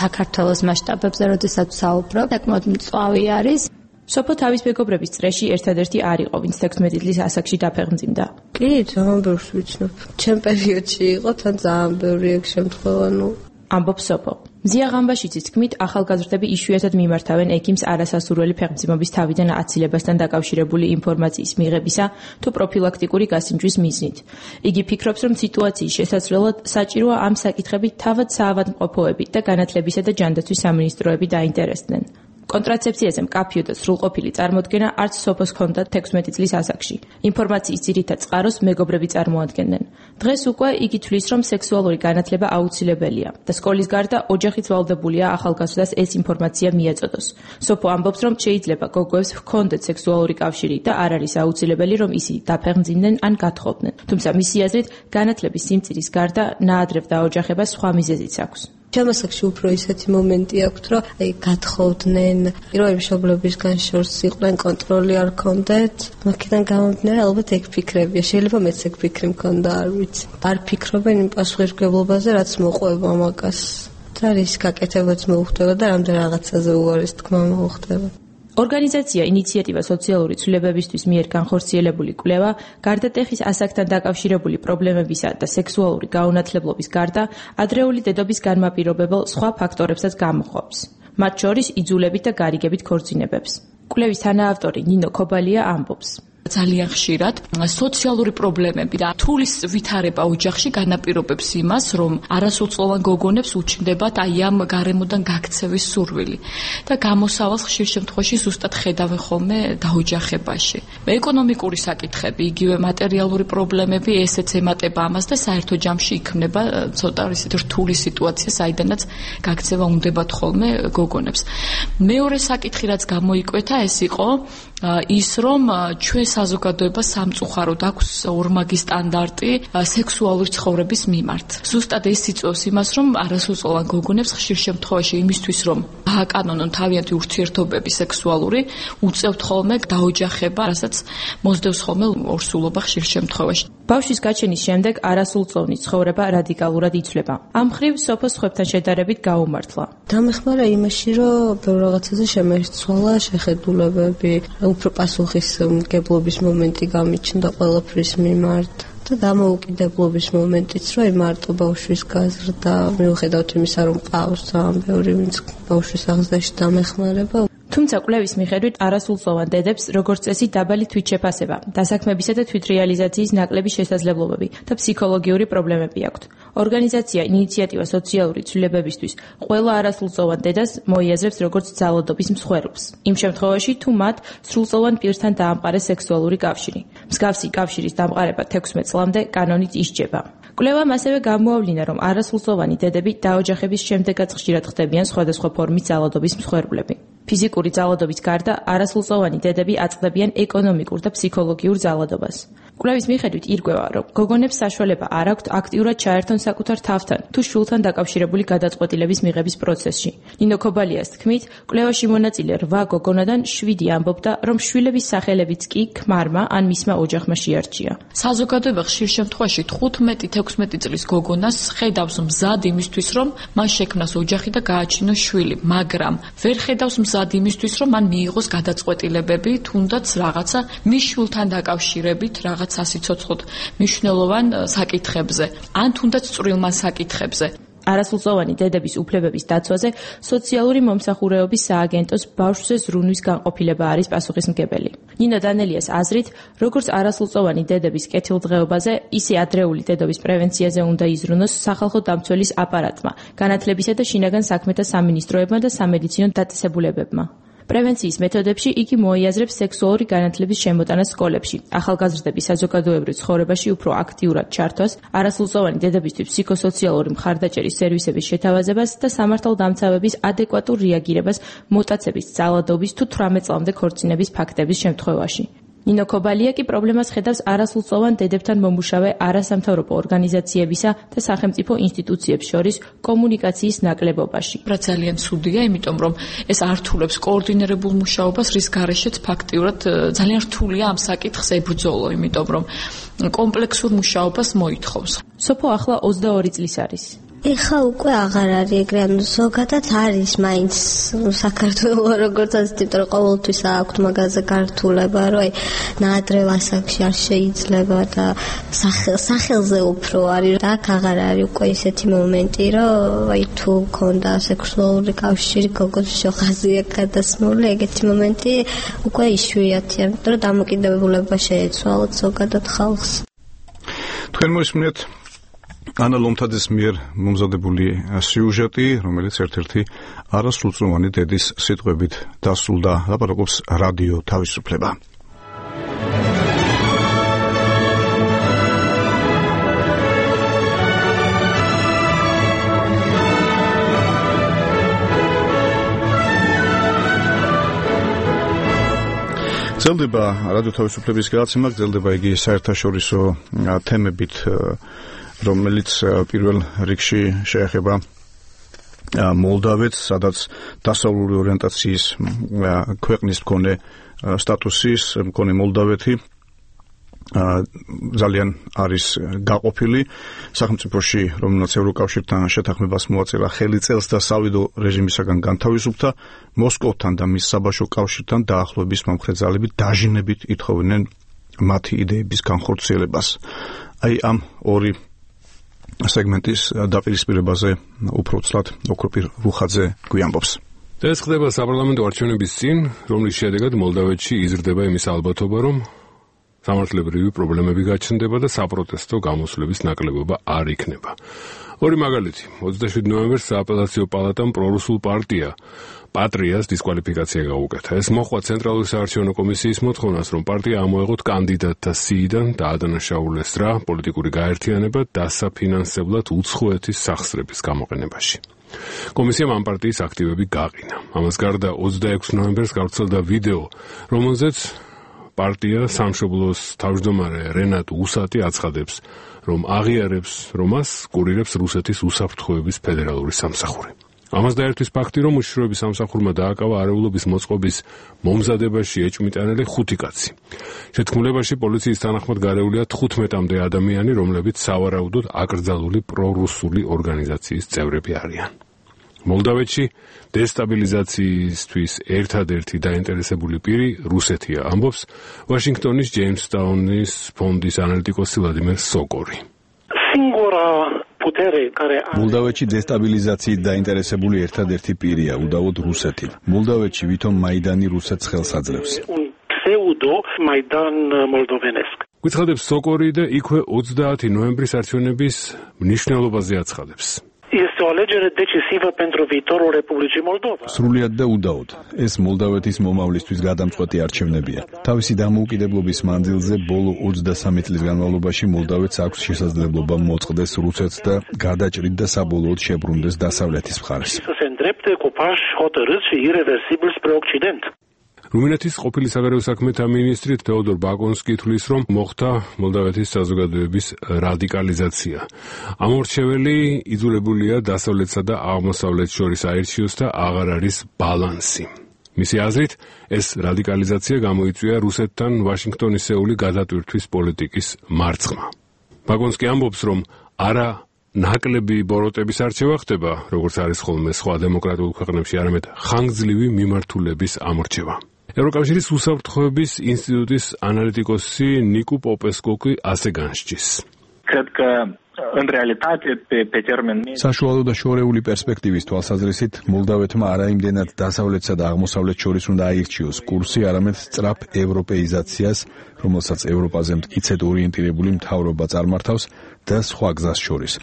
საქართველოს მასშტაბებზე როდესაც საუბრობ, საკმაოდ მწვავი არის. სოფო თავის მეგობრების წრეში ერთადერთი არ იყო, ვინც 16 წლის ასაკში დაფეხმძიმდა. კი, ძალიან ბევრს ვიცნობ. ჩემ პერიოდში იყო თან ძალიან ბევრი ეგ შემთხვევა, ამბობს სოფო. მზია ღამბაშიძის თქმით, ახალგაზრდები იშვიათად მიმართავენ ექიმს არასასურველი ფეხმძიმობის თავიდან აცილებასთან დაკავშირებული ინფორმაციის მიღებისა თუ პროფილაქტიკური გასინჯვის მიზნით. იგი ფიქრობს, რომ სიტუაციის შესაძლებლად საჭიროა ამ საკითხებით თავად საავადმყოფოები და განათლებისა და ჯანდაცვის სამინისტროები დაინტერესდნენ. კონტრაცეფციაზე მკაფიო და სრულყოფილი წარმოდგენა არც სოფოს ჰქონდა 16 წლის ასაკში. ინფორმაციის ძირითად წყაროს მეგობრები წარმოადგენდნენ. დღეს უკვე იგი თვლის, რომ სექსუალური განათლება აუცილებელია და სკოლის გარდა ოჯახიც ვალდებულია ახალგაზრდას ეს ინფორმაცია მიეწოდოს. სოფო ამბობს, რომ შეიძლება გოგოებს ჰქონდეთ სექსუალური კავშირი და არ არის აუცილებელი, რომ ისინი დაფეხმძიმდნენ ან გათხოვდნენ. თუმცა მისი აზრით, განათლების სიმწირის გარდა ნაადრევ დაოჯახებას სხვა მიზეზიც აქვს. ჩემასაკში უფრო ისეთი მომენტი აქვს, რომ გათხოვდნენ, პირველი მშობლებისგან შორს იყვნენ, კონტროლი არ ქონდეთ. მაგიდან გამომდინარე, ალბათ ეგ ფიქრებია. შეიძლება მეც ეგ ფიქრი მქონდა, არ ვიცი. არ ფიქრობენ იმ პასუხისმგებლობაზე, რაც მოყვება მაგას. და რის გაკეთებაც მოუხდება და რამდენ რაღაცაზე უარის თქმა მოუხდება. ორგანიზაცია ინიციატივა სოციალური ცვლილებებისთვის მიერ განხორციელებული კვლევა გარდა ტეხის ასაკთან დაკავშირებული პრობლემებისა და სექსუალური გაუნათლებლობის გარდა ადრეული დედობის განმაპირობებელ სხვა ფაქტორებსაც გამოხობს. მათ შორის იძულებით და გარიგებით ქორწინებებს. კვლევის თანაავტორი ნინო ქობალია ამბობს. ძალიან ხშირად სოციალური პრობლემები და თulis ვითარება ოჯახში განაპირობებს იმას, რომ არასრულწლოვან გოგონებს უჩნდებათ აი ამ გარემოდან გაქცევის სურვილი და გამოსავალს ხშირ შემთხვევაში ზუსტად ხედავენ ხოლმე დაოჯახებაში. ეკონომიკური საკითხები, იგივე მატერიალური პრობლემები, ესეც ემატება ამას და საერთო ჯამში იქმნება ცოტა ისეთი რთული სიტუაცია, საიდანაც გაქცევა უნდებათ ხოლმე გოგონებს. მეორე საკითხი რაც გამოიკვეთა, ეს იყო ის რომ ჩვენ საზოგადოება სამწუხაროდ აქვს ორმაგი სტანდარტი სექსუალური ცხოვრების მიმართ. ზუსტად ეს იწვევს იმას, რომ არასრულწლოვან გოგონებს ხშირ შემთხვევაში იმისთვის, რომ გააკანონონ თავიანთი ურთიერთობები სექსუალური, უწევთ ხოლმე დაოჯახება, რასაც მოსდევს ხოლმე ორსულობა ხშირ შემთხვევაში. ბავშვის გაჩენის შემდეგ არასრულწლოვნის ცხოვრება რადიკალურად იცვლება. ამ მხრივ სოფოს ხვებთან შედარებით გაუმართლა. დამეხმარა იმაში, რომ ბევრ რაღაცაზე შემეცვალა შეხედულებები, უფრო პასუხისმგებლობის მომენტი გამიჩნდა ყველაფრის მიმართ და დამოუკიდებლობის მომენტიც, რომ მარტო ბავშვის გაზრდა, მიუხედავად იმისა, რომ ყავს ძალიან ბევრი ვინც ბავშვის აღზრდაში დამეხმარება. თუმცა კვლევის მიხედვით არასრულწლოვან დედებს როგორც წესი დაბალი თვითშეფასება, დასაქმებისა და თვითრეალიზაციის ნაკლები შესაძლებლობები და ფსიქოლოგიური პრობლემები აქვთ. ორგანიზაცია ინიციატივა სოციალური ცვლილებებისთვის ყველა არასრულწლოვან დედას მოიაზრებს როგორც ძალადობის მსხვერპლს. იმ შემთხვევაში, თუ მათ სრულწლოვან პირთან დაამყარეს სექსუალური კავშირი. მსგავსი კავშირის დამყარება 16 წლამდე კანონით ისჯება. კვლევამ ასევე გამოავლინა, რომ არასრულწლოვანი დედები დაოჯახების შემდეგაც ხშირად ხდებიან სხვადასხვა ფორმის ძალადობის მსხვერპლები. ფიზიკური ძალადობის გარდა არასრულწლოვანი დედები აწყდებიან ეკონომიკურ და ფსიქოლოგიურ ძალადობას. კვლევის მიხედვით ირკვევა, რომ გოგონებს საშუალება არ აქვთ აქტიურად ჩაერთონ საკუთარ თავთან თუ შვილთან დაკავშირებული გადაწყვეტილების მიღების პროცესში. ნინო ქობალიას თქმით, კვლევაში მონაწილე 8 გოგონადან 7 ამბობდა, რომ შვილების სახელებიც კი ქმარმა ან მისმა ოჯახმა შეარჩია. საზოგადოება ხშირ შემთხვევაში 15-16 წლის გოგონას ხედავს მზად იმისთვის, რომ მან შექმნას ოჯახი და გააჩინოს შვილი, მაგრამ ვერ ხედავს მზად იმისთვის, რომ მან მიიღოს გადაწყვეტილებები, თუნდაც რაღაცა მის შვილთან დაკავშირებით, რაღაც ასიცოცხლოდ მნიშვნელოვან საკითხებზე, ან თუნდაც წვრილმან საკითხებზე. არასრულწლოვანი დედების უფლებების დაცვაზე სოციალური მომსახურეობის სააგენტოს ბავშვზე ზრუნვის განყოფილება არის პასუხისმგებელი. ნინო დანელიას აზრით, როგორც არასრულწლოვანი დედების კეთილდღეობაზე, ისე ადრეული დედობის პრევენციაზე უნდა იზრუნოს სახალხო დამცველის აპარატმა, განათლებისა და შინაგან საქმეთა სამინისტროებმა და სამედიცინო დაწესებულებებმა. პრევენციის მეთოდებში იგი მოიაზრებს სექსუალური განათლების შემოტანას სკოლებში, ახალგაზრდების საზოგადოებრივ ცხოვრებაში უფრო აქტიურად ჩართვას, არასრულწლოვანი დედებისთვის ფსიქოსოციალური მხარდაჭერის სერვისების შეთავაზებას და სამართალდამცავების ადეკვატურ რეაგირებას მოტაცების, ძალადობის თუ 18 წლამდე ქორწინების ფაქტების შემთხვევაში. ნინო ქობალია კი პრობლემას ხედავს არასრულწლოვან დედებთან მომუშავე არასამთავრობო ორგანიზაციებისა და სახელმწიფო ინსტიტუციებს შორის კომუნიკაციის ნაკლებობაში. რა ძალიან ცუდია, იმიტომ რომ ეს ართულებს კოორდინირებულ მუშაობას, რის გარეშეც ფაქტიურად ძალიან რთულია ამ საკითხს ებრძოლო, იმიტომ რომ კომპლექსურ მუშაობას მოითხოვს. სოფო ახლა 22 წლის არის. ეხა უკვე აღარ არის ეგრე, ანუ ზოგადად არის მაინც საქართველოს როგორც ასეთი, რომ ყოველთვის აქვთ მაგაზე გართულება, რომ აი ნაადრევ ასაკში არ შეიძლება და სახელზე უფრო არის და აქ აღარ არის უკვე ისეთი მომენტი, რომ აი თუ მქონდა სექსუალური კავშირი გოგოს შოხაზია გადასმული, ეგეთი მომენტი უკვე იშვიათია, იმიტომ რომ დამოკიდებულება შეეცვალოთ ზოგადად ხალხს. თქვენ მოისმინეთ ანა ლომთაძის მიერ მომზადებული სიუჟეტი, რომელიც ერთ-ერთი არასრულწლოვანი დედის სიტყვებით დასრულდა. ლაპარაკობს რადიო თავისუფლება. გრძელდება რადიო თავისუფლების გადაცემა, გრძელდება იგი საერთაშორისო თემებით, რომელიც პირველ რიგში შეეხება მოლდავეთს, სადაც დასავლური ორიენტაციის ქვეყნის მქონე სტატუსის მქონე მოლდავეთი ძალიან არის გაყოფილი სახელმწიფოში, რომელსაც ევროკავშირთან შეთანხმებას მოაწერა ხელი წელს და სავიდო რეჟიმისაგან განთავისუფლდა, მოსკოვთან და მის საბაჟო კავშირთან დაახლოების მომხრე ძალები დაჟინებით ითხოვდნენ მათი იდეების განხორციელებას. აი ამ ორი სეგმენტის დაპირისპირებაზე უფრო ცლად ოქროპირ რუხაძე გვიამბობს. ეს ხდება საპარლამენტო არჩევნების წინ, რომლის შედეგად მოლდავეთში იზრდება იმის ალბათობა, რომ სამართლებრივი პრობლემები გაჩნდება და საპროტესტო გამოსვლების ნაკლებობა არ იქნება. ორი მაგალითი. 27 ნოემბერს სააპელაციო პალატამ პრორუსულ პარტია პატრიას დისკვალიფიკაცია გაუკეთა. ეს მოჰყვა ცენტრალური საარჩევნო კომისიის მოთხოვნას, რომ პარტია ამოეღოთ კანდიდატთა სიიდან და ადანაშაულეს რა პოლიტიკური გაერთიანება დასაფინანსებლად უცხოეთის სახსრების გამოყენებაში. კომისიამ ამ პარტიის აქტივები გაყინა. ამას გარდა 26 ნოემბერს გავრცელდა ვიდეო, რომელზეც პარტია სამშობლოს თავმჯდომარე რენატ უსატი აცხადებს, რომ აღიარებს, რომ მას კურირებს რუსეთის უსაფრთხოების ფედერალური სამსახური. ამას დაერთვის ფაქტი, რომ უშიშროების სამსახურმა დააკავა არეულობის მოწყობის მომზადებაში ეჭვმიტანილი 5 კაცი. შეთქმულებაში პოლიციის თანახმად გარეულია 15-მდე ადამიანი, რომლებიც სავარაუდოდ აკრძალული პრორუსული ორგანიზაციის წევრები არიან. მოლდავეთში დესტაბილიზაციისთვის ერთადერთი დაინტერესებული პირი რუსეთია, ამბობს ვაშინგტონის ჯეიმსტაუნის ფონდის ანალიტიკოსი ვლადიმერ სოკორი. მოლდავეთში დესტაბილიზაციით დაინტერესებული ერთადერთი პირია უდავოდ რუსეთი. მოლდავეთში ვითომ მაიდანი რუსეთს ხელს აძლევს. გვიცხადებს სოკორი და იქვე 30 ნოემბრის არჩევნების მნიშვნელობაზე აცხადებს. სრულიად და უდაოდ. ეს მოლდავეთის მომავლისთვის გადამწყვეტი არჩევნებია. თავისი დამოუკიდებლობის მანძილზე ბოლო 23 წლის განმავლობაში მოლდავეთს აქვს შესაძლებლობა მოწყდეს რუსეთს და გადაჭრით და საბოლოოდ შებრუნდეს დასავლეთის მხარეს. რუმინეთის ყოფილი საგარეო საქმეთა მინისტრი თეოდორ ბაკონსკი თვლის, რომ მოხდა მოლდავეთის საზოგადოების რადიკალიზაცია. ამორჩეველი იძულებულია დასავლეთსა და აღმოსავლეთს შორის აირჩიოს და აღარ არის ბალანსი. მისი აზრით, ეს რადიკალიზაცია გამოიწვია რუსეთთან ვაშინგტონისეული გადატვირთვის პოლიტიკის მარცხმა. ბაკონსკი ამბობს, რომ არა ნაკლები ბოროტების არჩევა ხდება, როგორც არის ხოლმე სხვა დემოკრატიულ ქვეყნებში, არამედ ხანგრძლივი მიმართულების ამორჩევა. ევროკავშირის უსაფრთხოების ინსტიტუტის ანალიტიკოსი ნიკუ პოპესკო ასე განსჯის. საშუალო და შორეული პერსპექტივის თვალსაზრისით მოლდავეთმა არაიმდენად დასავლეთსა და აღმოსავლეთს შორის უნდა აირჩიოს კურსი, არამედ სწრაფ ევროპეიზაციას, რომელსაც ევროპაზე მტკიცედ ორიენტირებული მთავრობა წარმართავს და სხვა გზას შორის.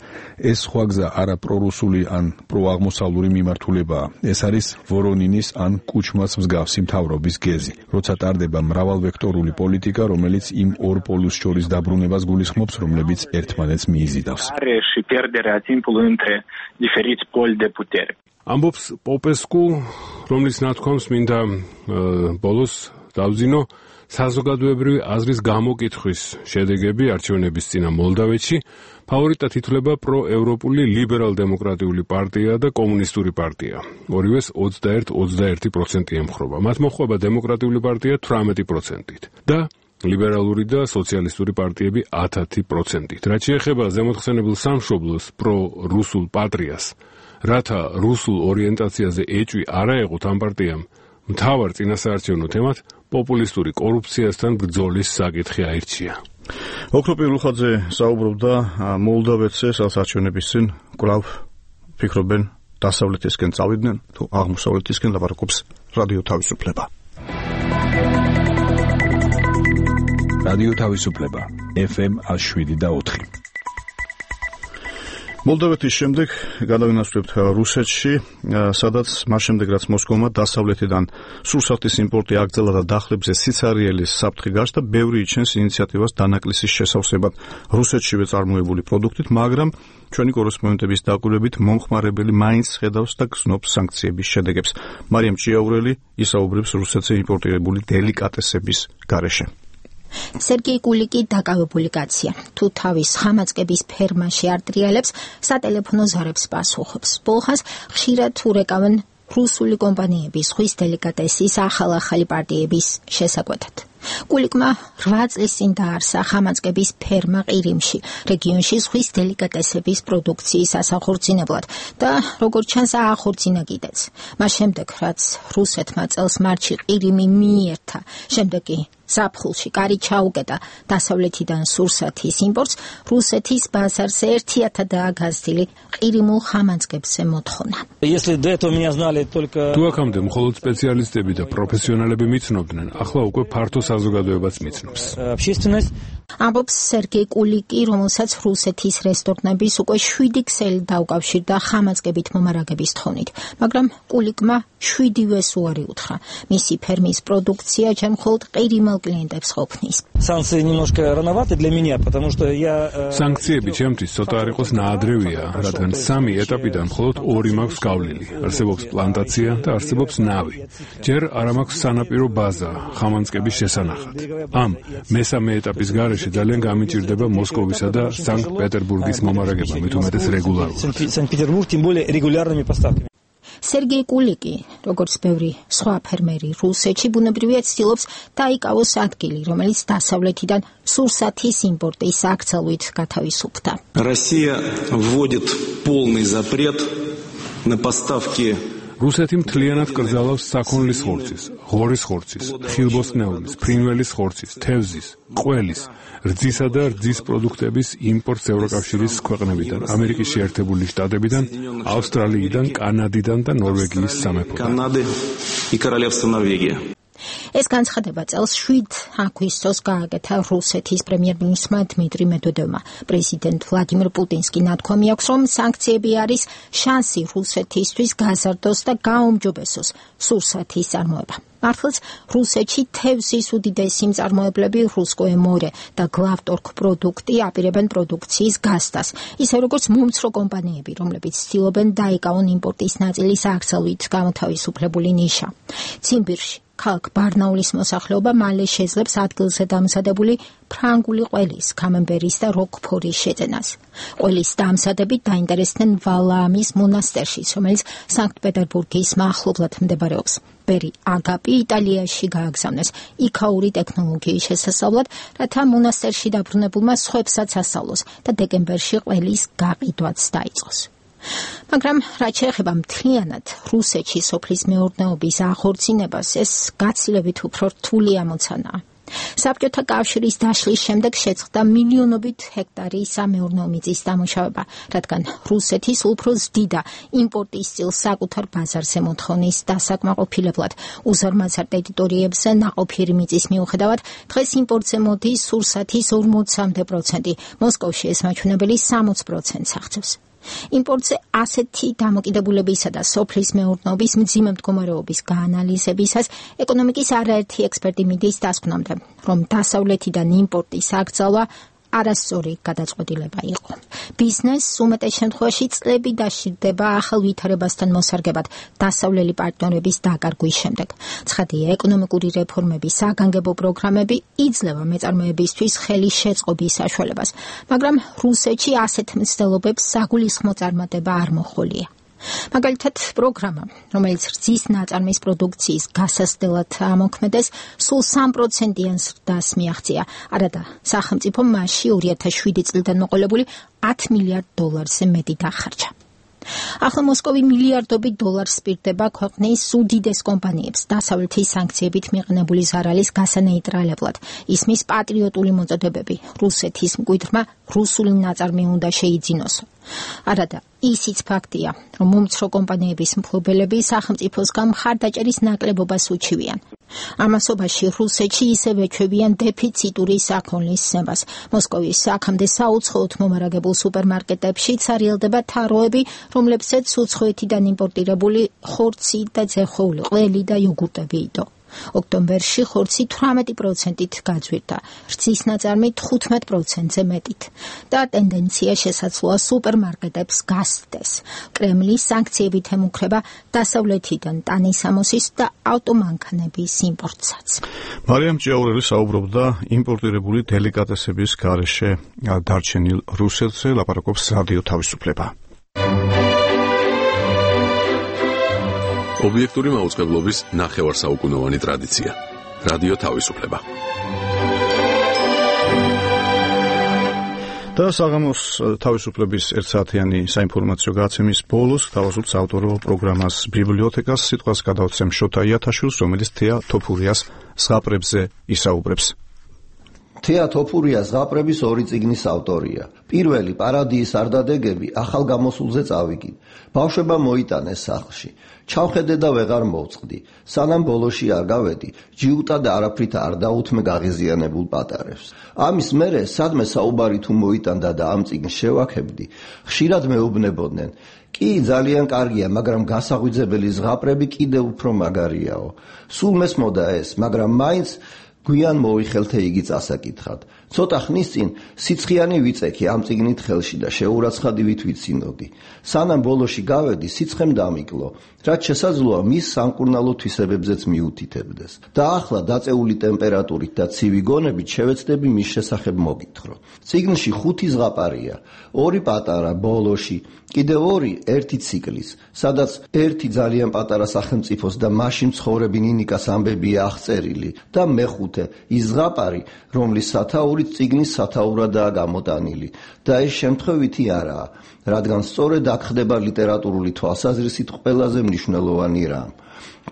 ეს სხვა გზა არა პრორუსული ან პროაღმოსავლური მიმართულებაა. ეს არის ვორონინის ან კუჩმას მსგავსი მთავრობის გეზი, როცა ტარდება მრავალვექტორული პოლიტიკა, რომელიც იმ ორ პოლუს შორის დაბრუნებას გულისხმობს, რომლებიც ერთმანეთს მიიზიდავს. ამბობს პოპესკუ, რომლის ნათქვამს მინდა ბოლოს დავძინო საზოგადოებრივი აზრის გამოკითხვის შედეგები არჩევნების წინა მოლდავეთში. ფავორიტად ითვლება პროევროპული ლიბერალ-დემოკრატიული პარტია და კომუნისტური პარტია. ორივეს 21% ემხრობა. მათ მოჰყვება დემოკრატიული პარტია 18%-ით და ლიბერალური და სოციალისტური პარტიები 10%-ით. რაც შეეხება ზემოთხსენებულ სამშობლოს პრო-რუსულ პატრიას, რათა რუსულ ორიენტაციაზე ეჭვი არა ეყოთ ამ პარტიამ, მთავარ წინასაარჩევნო თემად პოპულისტური კორუფციასთან ბრძოლის საკითხი აირჩია. ოქროპი ულუხაძე საუბრობდა მოლდავეთზე საარჩევნების წინ, კვლავ ფიქრობენ დასავლეთისკენ წავიდნენ თუ აღმოსავლეთისკენ, ლაპარაკობს რადიო თავისუფლება. რადიო თავისუფლება FM 107.4. მოლდავეთის შემდეგ გადავინაცვლებთ რუსეთში, სადაც მას შემდეგ რაც მოსკოვმა დასავლეთიდან სურსათის იმპორტი აგრძელა და დახლებზე სიცარიელის საფრთხე გაჩნდა, ბევრი იჩენს ინიციატივას დანაკლისის შესავსებად რუსეთშივე წარმოებული პროდუქტით, მაგრამ ჩვენი კორესპონდენტების დაკვირვებით მომხმარებელი მაინც ხედავს და გზნობს სანქციების შედეგებს. მარიამ ჭიაურელი ისაუბრებს რუსეთზე იმპორტირებული დელიკატესების გარეშე. სერგეი კულიკი დაკავებული კაცია. თუ თავის ხამაწყების ფერმაში არ ტრიალებს, სატელეფონო ზარებს პასუხობს. ბოლხას ხშირად ურეკავენ რუსული კომპანიების ზღვის დელიკატესის ახალ-ახალი პარტიების შესაკვეთად. კულიკმა 8 წლის წინ დაარსა ხამაწყების ფერმა ყირიმში, რეგიონში ზღვის დელიკატესების პროდუქციის ასახორცინებლად და როგორც ჩანს აახორცინა კიდეც. მას შემდეგ, რაც რუსეთმა წელს მარტში ყირიმი მიიერთა, შემდეგ კი ზაფხულში კარი ჩაუკეტა დასავლეთიდან სურსათის იმპორტს, რუსეთის ბაზარზე 1000-დაა გაზრდილი ყირიმულ ხამაწყებზე მოთხოვნა. თუ აქამდე მხოლოდ სპეციალისტები და პროფესიონალები მიცნობდნენ, ახლა უკვე ფართო საზოგადოებაც მიცნობს. ამბობს სერგეი კულიკი, რომელსაც რუსეთის რესტორნების უკვე 7 ქსელი დაუკავშირდა ხამაწყებით მომარაგების თხოვნით, მაგრამ კულიკმა 7-ვეს უარი უთხრა. მისი ფერმის პროდუქცია ჯერ მხოლოდ ყირიმელ klientებს ყოფნის. სანქციები ჩემთვის ცოტა არ იყოს ნაადრევია, რადგან 3 ეტაპიდან მხოლოდ 2 მაქვს გავლილი. არსებობს პლანტაცია და არსებობს ნავი. ჯერ არ მაქვს სანაპირო ბაზა ხამანწყების შესანახად. ამ მესამე ეტაპის გარეშე ძალიან გამიჭირდება მოსკოვისა და სანქტ-პეტერბურგის მომარაგება, მით უმეტეს რეგულარულად. სერგეი კულიკი, როგორც ბევრი სხვა ფერმერი რუსეთში, ბუნებრივია ცდილობს დაიკავოს ადგილი, რომელიც დასავლეთიდან სურსათის იმპორტის აკრძალვით გათავისუფლდა. Россия вводит полный запрет на поставки რუსეთი მთლიანად კრძალავს საქონლის ხორცის, ღორის ხორცის, ხილბოსტნეულის, ფრინველის ხორცის, თევზის, ყველის, რძისა და რძის პროდუქტების იმპორტს ევროკავშირის ქვეყნებიდან, ამერიკის შეერთებული შტატებიდან, ავსტრალიიდან, კანადიდან და ნორვეგიის სამეფოდან. ეს განცხადება წელს 7 აგვისტოს გააკეთა რუსეთის პრემიერ-მინისტრმა დმიტრი მედვედევმა. პრეზიდენტ ვლადიმირ პუტინსკი ნათქვამი აქვს, რომ სანქციები არის შანსი რუსეთისთვის გაზარდოს და გაუმჯობესოს სურსათის წარმოება. მართლაც რუსეთში თევზის უდიდესი მწარმოებლები რუსკოე მორე და გლავტორგ პროდუქტი აპირებენ პროდუქციის გასტას, ისე როგორც მომცრო კომპანიები, რომლებიც ცდილობენ დაიკავონ იმპორტის ნაწილის აკრძალვით გამოთავისუფლებული ნიშა. ციმბირში ქალაქ ბარნაულის მოსახლეობა მალე შეძლებს ადგილზე დამზადებული ფრანგული ყველის, კამემბერის და როკფორის შეძენას. ყველის დამზადებით დაინტერესდნენ ვალაამის მონასტერში, რომელიც სანქტ-პეტერბურგის მახლობლად მდებარეობს. ბერი აგაპი იტალიაში გააგზავნეს იქაური ტექნოლოგიის შესასწავლად, რათა მონასტერში დაბრუნებულმა სხვებსაც ასწავლოს და დეკემბერში ყველის გაყიდვაც დაიწყოს. მაგრამ რაც შეეხება მთლიანად რუსეთში სოფლის მეურნეობის ახორციელებას, ეს გაცილებით უფრო რთული ამოცანაა. საბჭოთა კავშირის დაშლის შემდეგ შეწყდა მილიონობით ჰექტარი სამეურნეო მიწის დამუშავება, რადგან რუსეთის უფრო ზრდიდა იმპორტის წილს საკუთარ ბაზარზე მოთხოვნის დასაკმაყოფილებლად უზარმაზარ ტერიტორიებზე ნაყოფიერი მიწის მიუხედავად დღეს იმპორტზე მოდის სურსათის 40%, მოსკოვში ეს მაჩვენებელი 60%-ს აღწევს. იმპორტზე ასეთი დამოკიდებულებისა და სოფლის მეურნეობის მძიმე მდგომარეობის გაანალიზებისას ეკონომიკის არაერთი ექსპერტი მიდის დასკვნამდე, რომ დასავლეთიდან იმპორტის აკრძალვა არასწორი გადაწყვეტილება იყო. ბიზნესს უმეტეს შემთხვევაში წლები დასჭირდება ახალ ვითარებასთან მოსარგებად დასავლელი პარტნიორების დაკარგვის შემდეგ. ცხადია, ეკონომიკური რეფორმების საგანგებო პროგრამები იძლევა მეწარმეებისთვის ხელის შეწყობის საშუალებას, მაგრამ რუსეთში ასეთ მცდელობებს საგულისხმო წარმატება არ მოჰყოლია. მაგალითად, პროგრამა, რომელიც რძის ნაწარმის პროდუქციის გასასწრად ამოქმედეს, სულ 3%-იან ზრდას მიაღწია, არადა სახელმწიფომ მასში 2007 წლიდან მოყოლებული $10 მილიარდზე მეტი დახარჯა. ახლა მოსკოვი მილიარდობით დოლარს სპირდება ქვეყნის უდიდეს კომპანიებს დასავლეთის სანქციებით მიყენებული ზარალის გასანეიტრალებლად. ისმის პატრიოტული მოწოდებები რუსეთის მკვიდრმა რუსული ნაწარმი უნდა შეიძინოსო. არადა ისიც ფაქტია, რომ მომცრო კომპანიების მფლობელები სახელმწიფოსგან მხარდაჭერის ნაკლებობას უჩივიან. ამასობაში რუსეთში ისევ ეჩვევიან დეფიციტური საქონლის ცნებას. მოსკოვის აქამდე საუცხოოდ მომარაგებულ სუპერმარკეტებში ცარიელდება თაროები, რომლებსაც უცხოეთიდან იმპორტირებული ხორცი და ძეხოული ყველი და იოგურტები იდო. ოქტომბერში ხორცი 18%-ით გაძვირდა, რძის ნაწარმი 15%-ზე მეტით და ტენდენცია შესაძლოა სუპერმარკეტებს გასცდეს. კრემლი სანქციებით ემუქრება დასავლეთიდან ტანისამოსის და ავტომანქანების იმპორტსაც. მარიამ ჭიაურელი საუბრობდა იმპორტირებული დელიკატესების გარეშე დარჩენილ რუსეთზე, ლაპარაკობს რადიო თავისუფლება. ობიექტური მაუწყებლობის ნახევარსაუკუნოვანი ტრადიცია. რადიო თავისუფლება. და საღამოს თავისუფლების ერთსაათიანი საინფორმაციო გადაცემის ბოლოს თავაზობთ საავტორო პროგრამას ბიბლიოთეკას, სიტყვას გადავცემ შოთა იათაშვილს, რომელიც თეა თოფურიას ზღაპრებზე ისაუბრებს. თეა თოფურია ზღაპრების ორი წიგნის ავტორია. პირველი პარადიის არდადეგები ახალ გამოსულზე წავიგინ. ბავშვებმა მოიტანეს სახლში. ჩავხედე და ვეღარ მოვწყდი. სანამ ბოლოში არ გავედი, ჯიუტა და არაფრით არ დაუთმე გაღიზიანებულ პატარებს. ამის მერე სადმე საუბარი თუ მოიტანდა და ამ წიგნს შევაქებდი, ხშირად მეუბნებოდნენ: კი, ძალიან კარგია, მაგრამ გასაღვიძებელი ზღაპრები კიდევ უფრო მაგარიაო. სულ მესმოდა ეს, მაგრამ მაინც გვიან მოიხელთე იგი წასაკითხად. ცოტა ხნის წინ სიცხიანი ვიწექი ამ წიგნით ხელში და შეურაცხადივით ვიცინოდი. სანამ ბოლოში გავედი, სიცხემ დამიკლო, რაც შესაძლოა მის სამკურნალო თვისებებზეც მიუთითებდეს. და ახლა დაწეული ტემპერატურით და ცივი გონებით შევეცდები მის შესახებ მოგითხრო. წიგნში 5 ზღაპარია, 2 პატარა ბოლოში, კიდევ 2 ერთი ციკლის, სადაც 1 ძალიან პატარა სახელმწიფოს და მასში მცხოვრები ნინიკას ამბებია აღწერილი და მე-5 ის ზღაპარი, რომლის სათაური წიგნის სათაურადაა გამოტანილი და ეს შემთხვევითი არაა, რადგან სწორედ აქ ხდება ლიტერატურული თვალსაზრისით ყველაზე მნიშვნელოვანი რამ.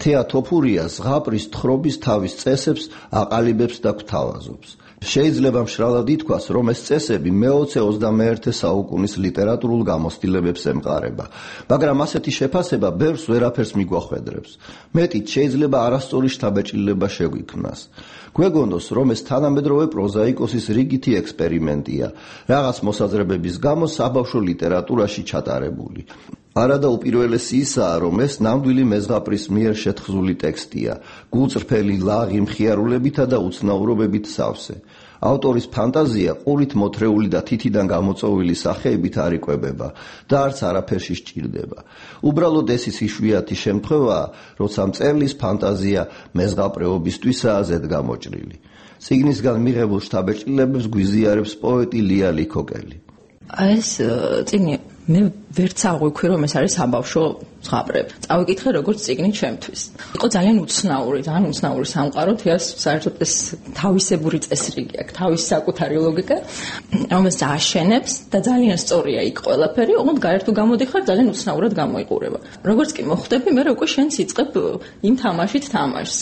თეა თოფურია ზღაპრის თხრობის თავის წესებს აყალიბებს და გვთავაზობს. შეიძლება მშრალად ითქვას, რომ ეს წესები მე-20-21 საუკუნის ლიტერატურულ გამოცდილებებს ემყარება, მაგრამ ასეთი შეფასება ბევრს ვერაფერს მიგვახვედრებს. მეტით შეიძლება არასწორი შთაბეჭდილება შეგვიქმნას. გვეგონოს, რომ ეს თანამედროვე პროზაიკოსის რიგითი ექსპერიმენტია, რაღაც მოსაზრებების გამო საბავშვო ლიტერატურაში ჩატარებული. არადა უპირველესი ისაა, რომ ეს ნამდვილი მეზღაპრის მიერ შეთხზული ტექსტია, გულწრფელი, ლაღი მხიარულებითა და უცნაურობებით სავსე. ავტორის ფანტაზია ყურით მოთრეული და თითიდან გამოწვეული სახეებით არ იკვებება და არც არაფერში სჭირდება. უბრალოდ ეს ის იშვიათი შემთხვევაა, როცა მწერლის ფანტაზია მეზღაპრეობისთვისაა ზედგამოჭრილი. წიგნისგან მიღებულ შთაბეჭდილებებს გვიზიარებს პოეტი ლია ლიქოკელი. ეს წიგნი მე ვერც აღვიქვი, რომ ეს არის საბავშვო ზღაპრები. წავიკითხე როგორც წიგნი ჩემთვის. იყო ძალიან უცნაური სამყარო, თეას საერთოდ ეს თავისებური წესრიგი აქვს, თავის საკუთარი ლოგიკა, რომელიც აშენებს და ძალიან სწორია იქ ყველაფერი, ოღონდ გარეთ თუ გამოდიხარ, ძალიან უცნაურად გამოიყურება. როგორც კი მოხვდები, მე უკვე შენც იწყებ იმ თამაშით თამაშს.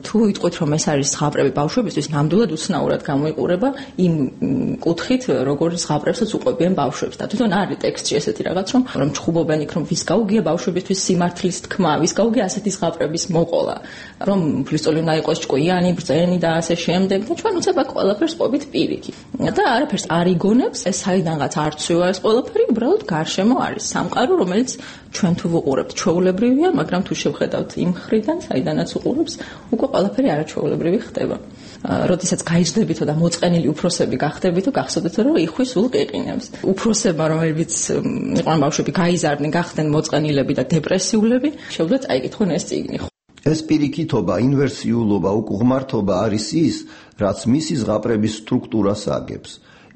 თუ იტყვით რომ ეს არის ზღაპრები ბავშვებისთვის, ნამდვილად უცნაურად გამოიყურება იმ კუთხით, როგორ ზღაპრებსაც უყვებიან ბავშვებს. და თვითონ არის ტექსტში ესეთი რაღაც, რომ ჩხუბობენ იქ, რომ ვის გაუგია ბავშვებისთვის სიმართლის თქმა, ვის გაუგია ასეთი ზღაპრების მოყოლა, რომ ფლისტოლი უნდა იყოს ჭკვიანი, ბრძენი და ასე შემდეგ. და ჩვენ უცებ აქ ყველაფერს ყვებით პირიქით. და არაფერს არ იგონებს, ეს საიდანღაც არ ცვივა ეს ყველაფერი, უბრალოდ გარშემო არის სამყარო, რომელიც ჩვენ თუ ვუყურებთ ჩვეულებრივია, მაგრამ თუ შევხედავთ იმ მხრიდან, საიდანაც უყურებს, უკვე ყველაფერი არაჩვეულებრივი ხდება. როდესაც გაიждდებითო და მოწყენილი უფროსები გახდებითო, გახსოვდეთ რომ იხვი სულ ყიყინებს. უფროსებმა, რომლებიც იყვნენ ბავშვები, გაიზარდნენ, გახდნენ მოწყენილები და დეპრესიულები, შეუძლიათ წაიკითხონ ეს წიგნი. ეს პირიქითობა, ინვერსიულობა, უკუღმართობა არის ის, რაც მისი ზღაპრების სტრუქტურას აგებს.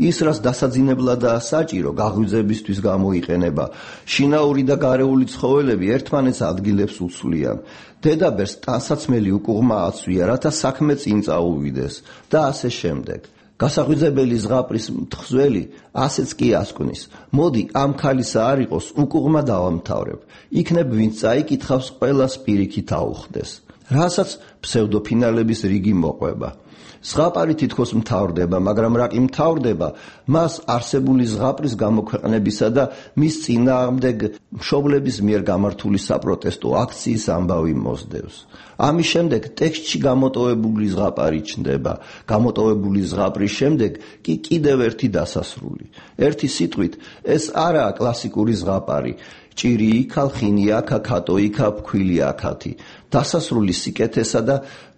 ის, რაც დასაძინებლადაა საჭირო, გაღვიძებისთვის გამოიყენება. შინაური და გარეული ცხოველები ერთმანეთს ადგილებს უცვლიან. დედაბერს ტანსაცმელი უკუღმა აცვია, რათა საქმე წინ წაუვიდეს და ასე შემდეგ. გასაღვიძებელი ზღაპრის მთხზველი ასეც კი ასკვნის. მოდი ამ ქალისა არ იყოს, უკუღმა დავამთავრებ. იქნებ ვინც წაიკითხავს, ყველას პირიქით აუხდეს. რასაც ფსევდოფინალების რიგი მოყვება. ზღაპარი თითქოს მთავრდება, მაგრამ რა კი მთავრდება, მას არსებული ზღაპრის გამოქვეყნებისა და მის წინააღმდეგ მშობლების მიერ გამართული საპროტესტო აქციის ამბავი მოსდევს. ამის შემდეგ ტექსტში გამოტოვებული ზღაპარი ჩნდება. გამოტოვებული ზღაპრის შემდეგ კი კიდევ ერთი დასასრული. ერთი სიტყვით, ეს არაა კლასიკური ზღაპარი. ჭირი იქა, ხინი აქა, ქატო იქა, ფქვილი აქათი. დასასრული სიკეთესა და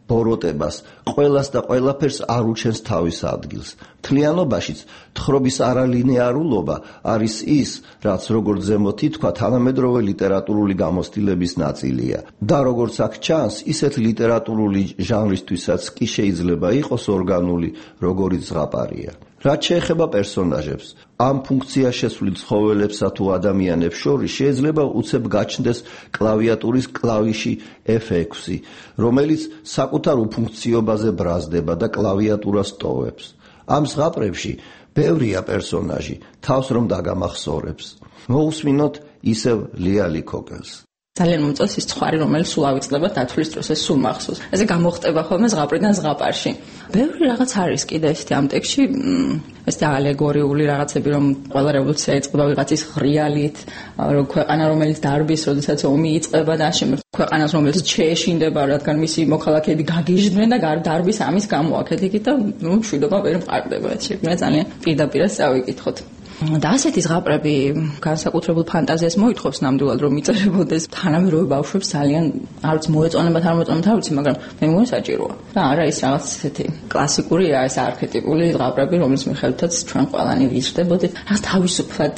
ბოროტებას, ყველას და ყველაფერს არ უჩენს თავის ადგილს. მთლიანობაშიც თხრობის არალინეარულობა არის ის, რაც როგორც ზემოთ ითქვა, თანამედროვე ლიტერატურული გამოცდილების ნაწილია. და როგორც აქ ჩანს, ისეთ ლიტერატურული ჟანრისთვისაც კი შეიძლება იყოს ორგანული, როგორიც ზღაპარია. რაც შეეხება პერსონაჟებს, ამ ფუნქციას შესვლილ ცხოველებსა თუ ადამიანებს შორის შეიძლება უცებ გაჩნდეს კლავიატურის კლავიში F6, რომელიც საკუთარ უფუნქციობაზე ბრაზდება და კლავიატურას ტოვებს. ამ ზღაპრებში ბევრია პერსონაჟი, თავს რომ დაგამახსოვრებს. მოусმინოთ ისევ ლიალი კოკელს. ძალიან მომწონს ის ცხარი, რომელიც სულ ავიწყდება დათვლის დროს, ეს სულ მახსოვს. ესე გამოხტება ხოლმე ზღაპრიდან ზღაპარში. ბევრი რაღაც არის კიდე ესეთი ამ ტექსტში, ესეთი ალეგორიული რაღაცები, რომ ყველა რევოლუცია იწყება ვიღაცის ღრიალით, რომ ქვეყანა რომელიც დარბის, როდესაც ომი იწყება და ამავდროულად ქვეყანას რომელიც შეეშინდება, რადგან მისი მოქალაქეები გაგიჟდნენ და დარბის ამის გამო აქეთ-იქით და მშვიდობა ვერ მყარდება. ეს შეგვიძლია ძალიან პირდაპირ წავიკითხოთ. და ასეთი ზღაპრები განსაკუთრებულ ფანტაზიას მოითხოვს ნამდვილად რომ იწერებოდეს თანამედროვე ბავშვებს ძალიან არც მოეწონებათ არ მოეწონებათ არ ვიცი მაგრამ მე მგონი საჭიროა და არა ის რაღაც ესეთი კლასიკურია ეს არქეტიპული ზღაპრები რომლის მიხედვითაც ჩვენ ყველანი ვიზრდებოდით რაღაც თავისუფლად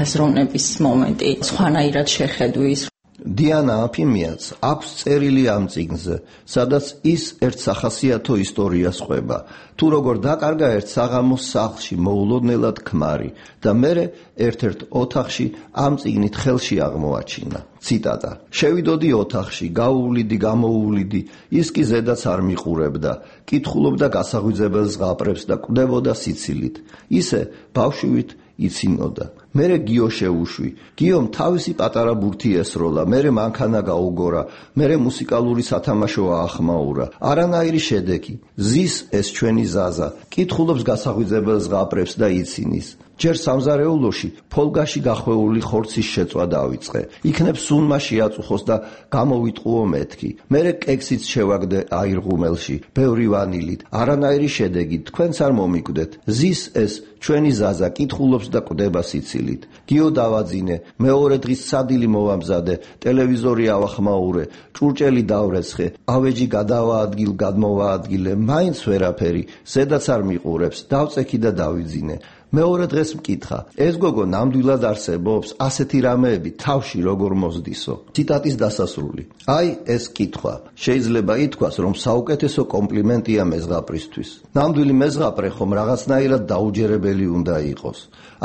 აზროვნების მომენტი სხვანაირად შეხედვის დიანა აფიმიაც აქვს წერილი ამ წიგნზე, სადაც ის ერთ სახასიათო ისტორიას ყვება. თუ როგორ დაკარგა ერთ საღამოს სახლში მოულოდნელად ქმარი და მერე ერთ-ერთ ოთახში ამ წიგნით ხელში აღმოაჩინა. ციტატა. შევიდოდი ოთახში, გაუვლიდი, გამოუვლიდი, ის კი ზედაც არ მიყურებდა. კითხულობდა გასაღვიძებელ ზღაპრებს და კვდებოდა სიცილით. ისე ბავშვივით იცინოდა. მერე გიო შეუშვი. გიომ თავისი პატარა ბურთი ესროლა, მერე მანქანა გაუგორა, მერე მუსიკალური სათამაშო აახმაურა. არანაირი შედეგი. ზის ეს ჩვენი ზაზა. კითხულობს გასაღვიძებელ ზღაპრებს და იცინის. ჯერ სამზარეულოში ფოლგაში გახვეული ხორცის შეწვა დავიწყე. იქნებ სუნმაში აწუხოს და გამოვიტყუო მეთქი. მერე კექსიც შევაგდე აირღუმელში, ბევრი ვანილით. არანაირი შედეგი, თქვენც არ მომიკვდეთ. ზის ეს ჩვენი ზაზა კითხულობს და კვდება სიცილით. გიო დავაძინე, მეორე დღის სადილი მოვამზადე, ტელევიზორი ავახმაურე, ჭურჭელი დავრეცხე, ავეჯი გადავაადგილ, გადმოვაადგილე, მაინც ვერაფერი, ზედაც არ მიყურებს, დავწექი და დავიძინე. მეორე დღეს მკითხა, ეს გოგო ნამდვილად არსებობს, ასეთი რამეები თავში როგორ მოსდისო. ციტატის დასასრული. აი ეს კითხვა. შეიძლება ითქვას, რომ საუკეთესო კომპლიმენტია მეზღაპრისთვის. ნამდვილი მეზღაპრე ხომ რაღაცნაირად დაუჯერებელი უნდა იყოს.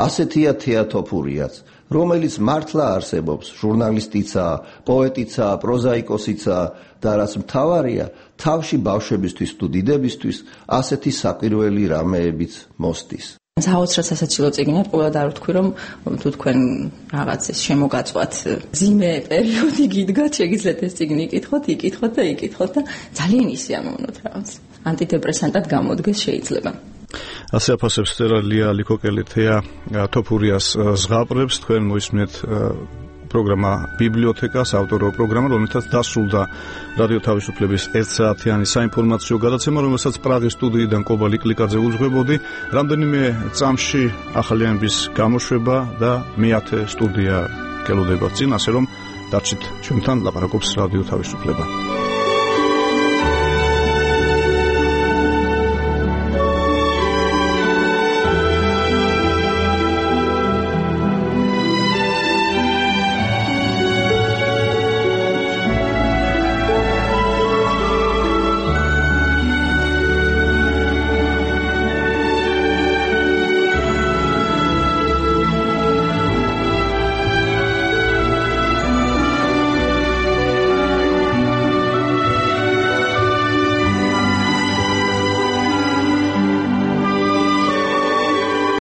ასეთია თეატოფურიაც, რომელიც მართლა არსებობს, ჟურნალისტიცაა, პოეტიცაა, პროზაიკოსიცაა და რაც მთავარია, თავში ბავშვებისთვის თუ დიდებისთვის ასეთი საკვირველი რამეებიც მოსდის. საოცრად სასაცილო წიგნია, ყველა და არ ვთქვი, რომ თუ თქვენ რაღაც ეს შემოგაწვათ ძიმე პერიოდი გიდგათ, შეგიძლიათ ეს წიგნი იკითხოთ და ძალიან ისიამოვნოთ რაღაც. ანტიდეპრესანტად გამოდგეს შეიძლება. ასე აფასებს ლია ლიკოკელი-თეა თოფურიას ზღაპრებს. თქვენ მოისმენთ პროგრამა ბიბლიოთეკა, საავტორო პროგრამა, რომელთაც დასრულდა რადიო თავისუფლების 1 საათიანი საინფორმაციო გადაცემა, რომელსაც პრაღის სტუდიიდან კობა ლიკლიკაძე უძღვებოდი. რამდენიმე წამში ახალიანების გამოშვება და მე-10 სტუდია გელოდება წინ, ასე რომ დარჩით ჩვენთან, ლაპარაკობს რადიო თავისუფლება.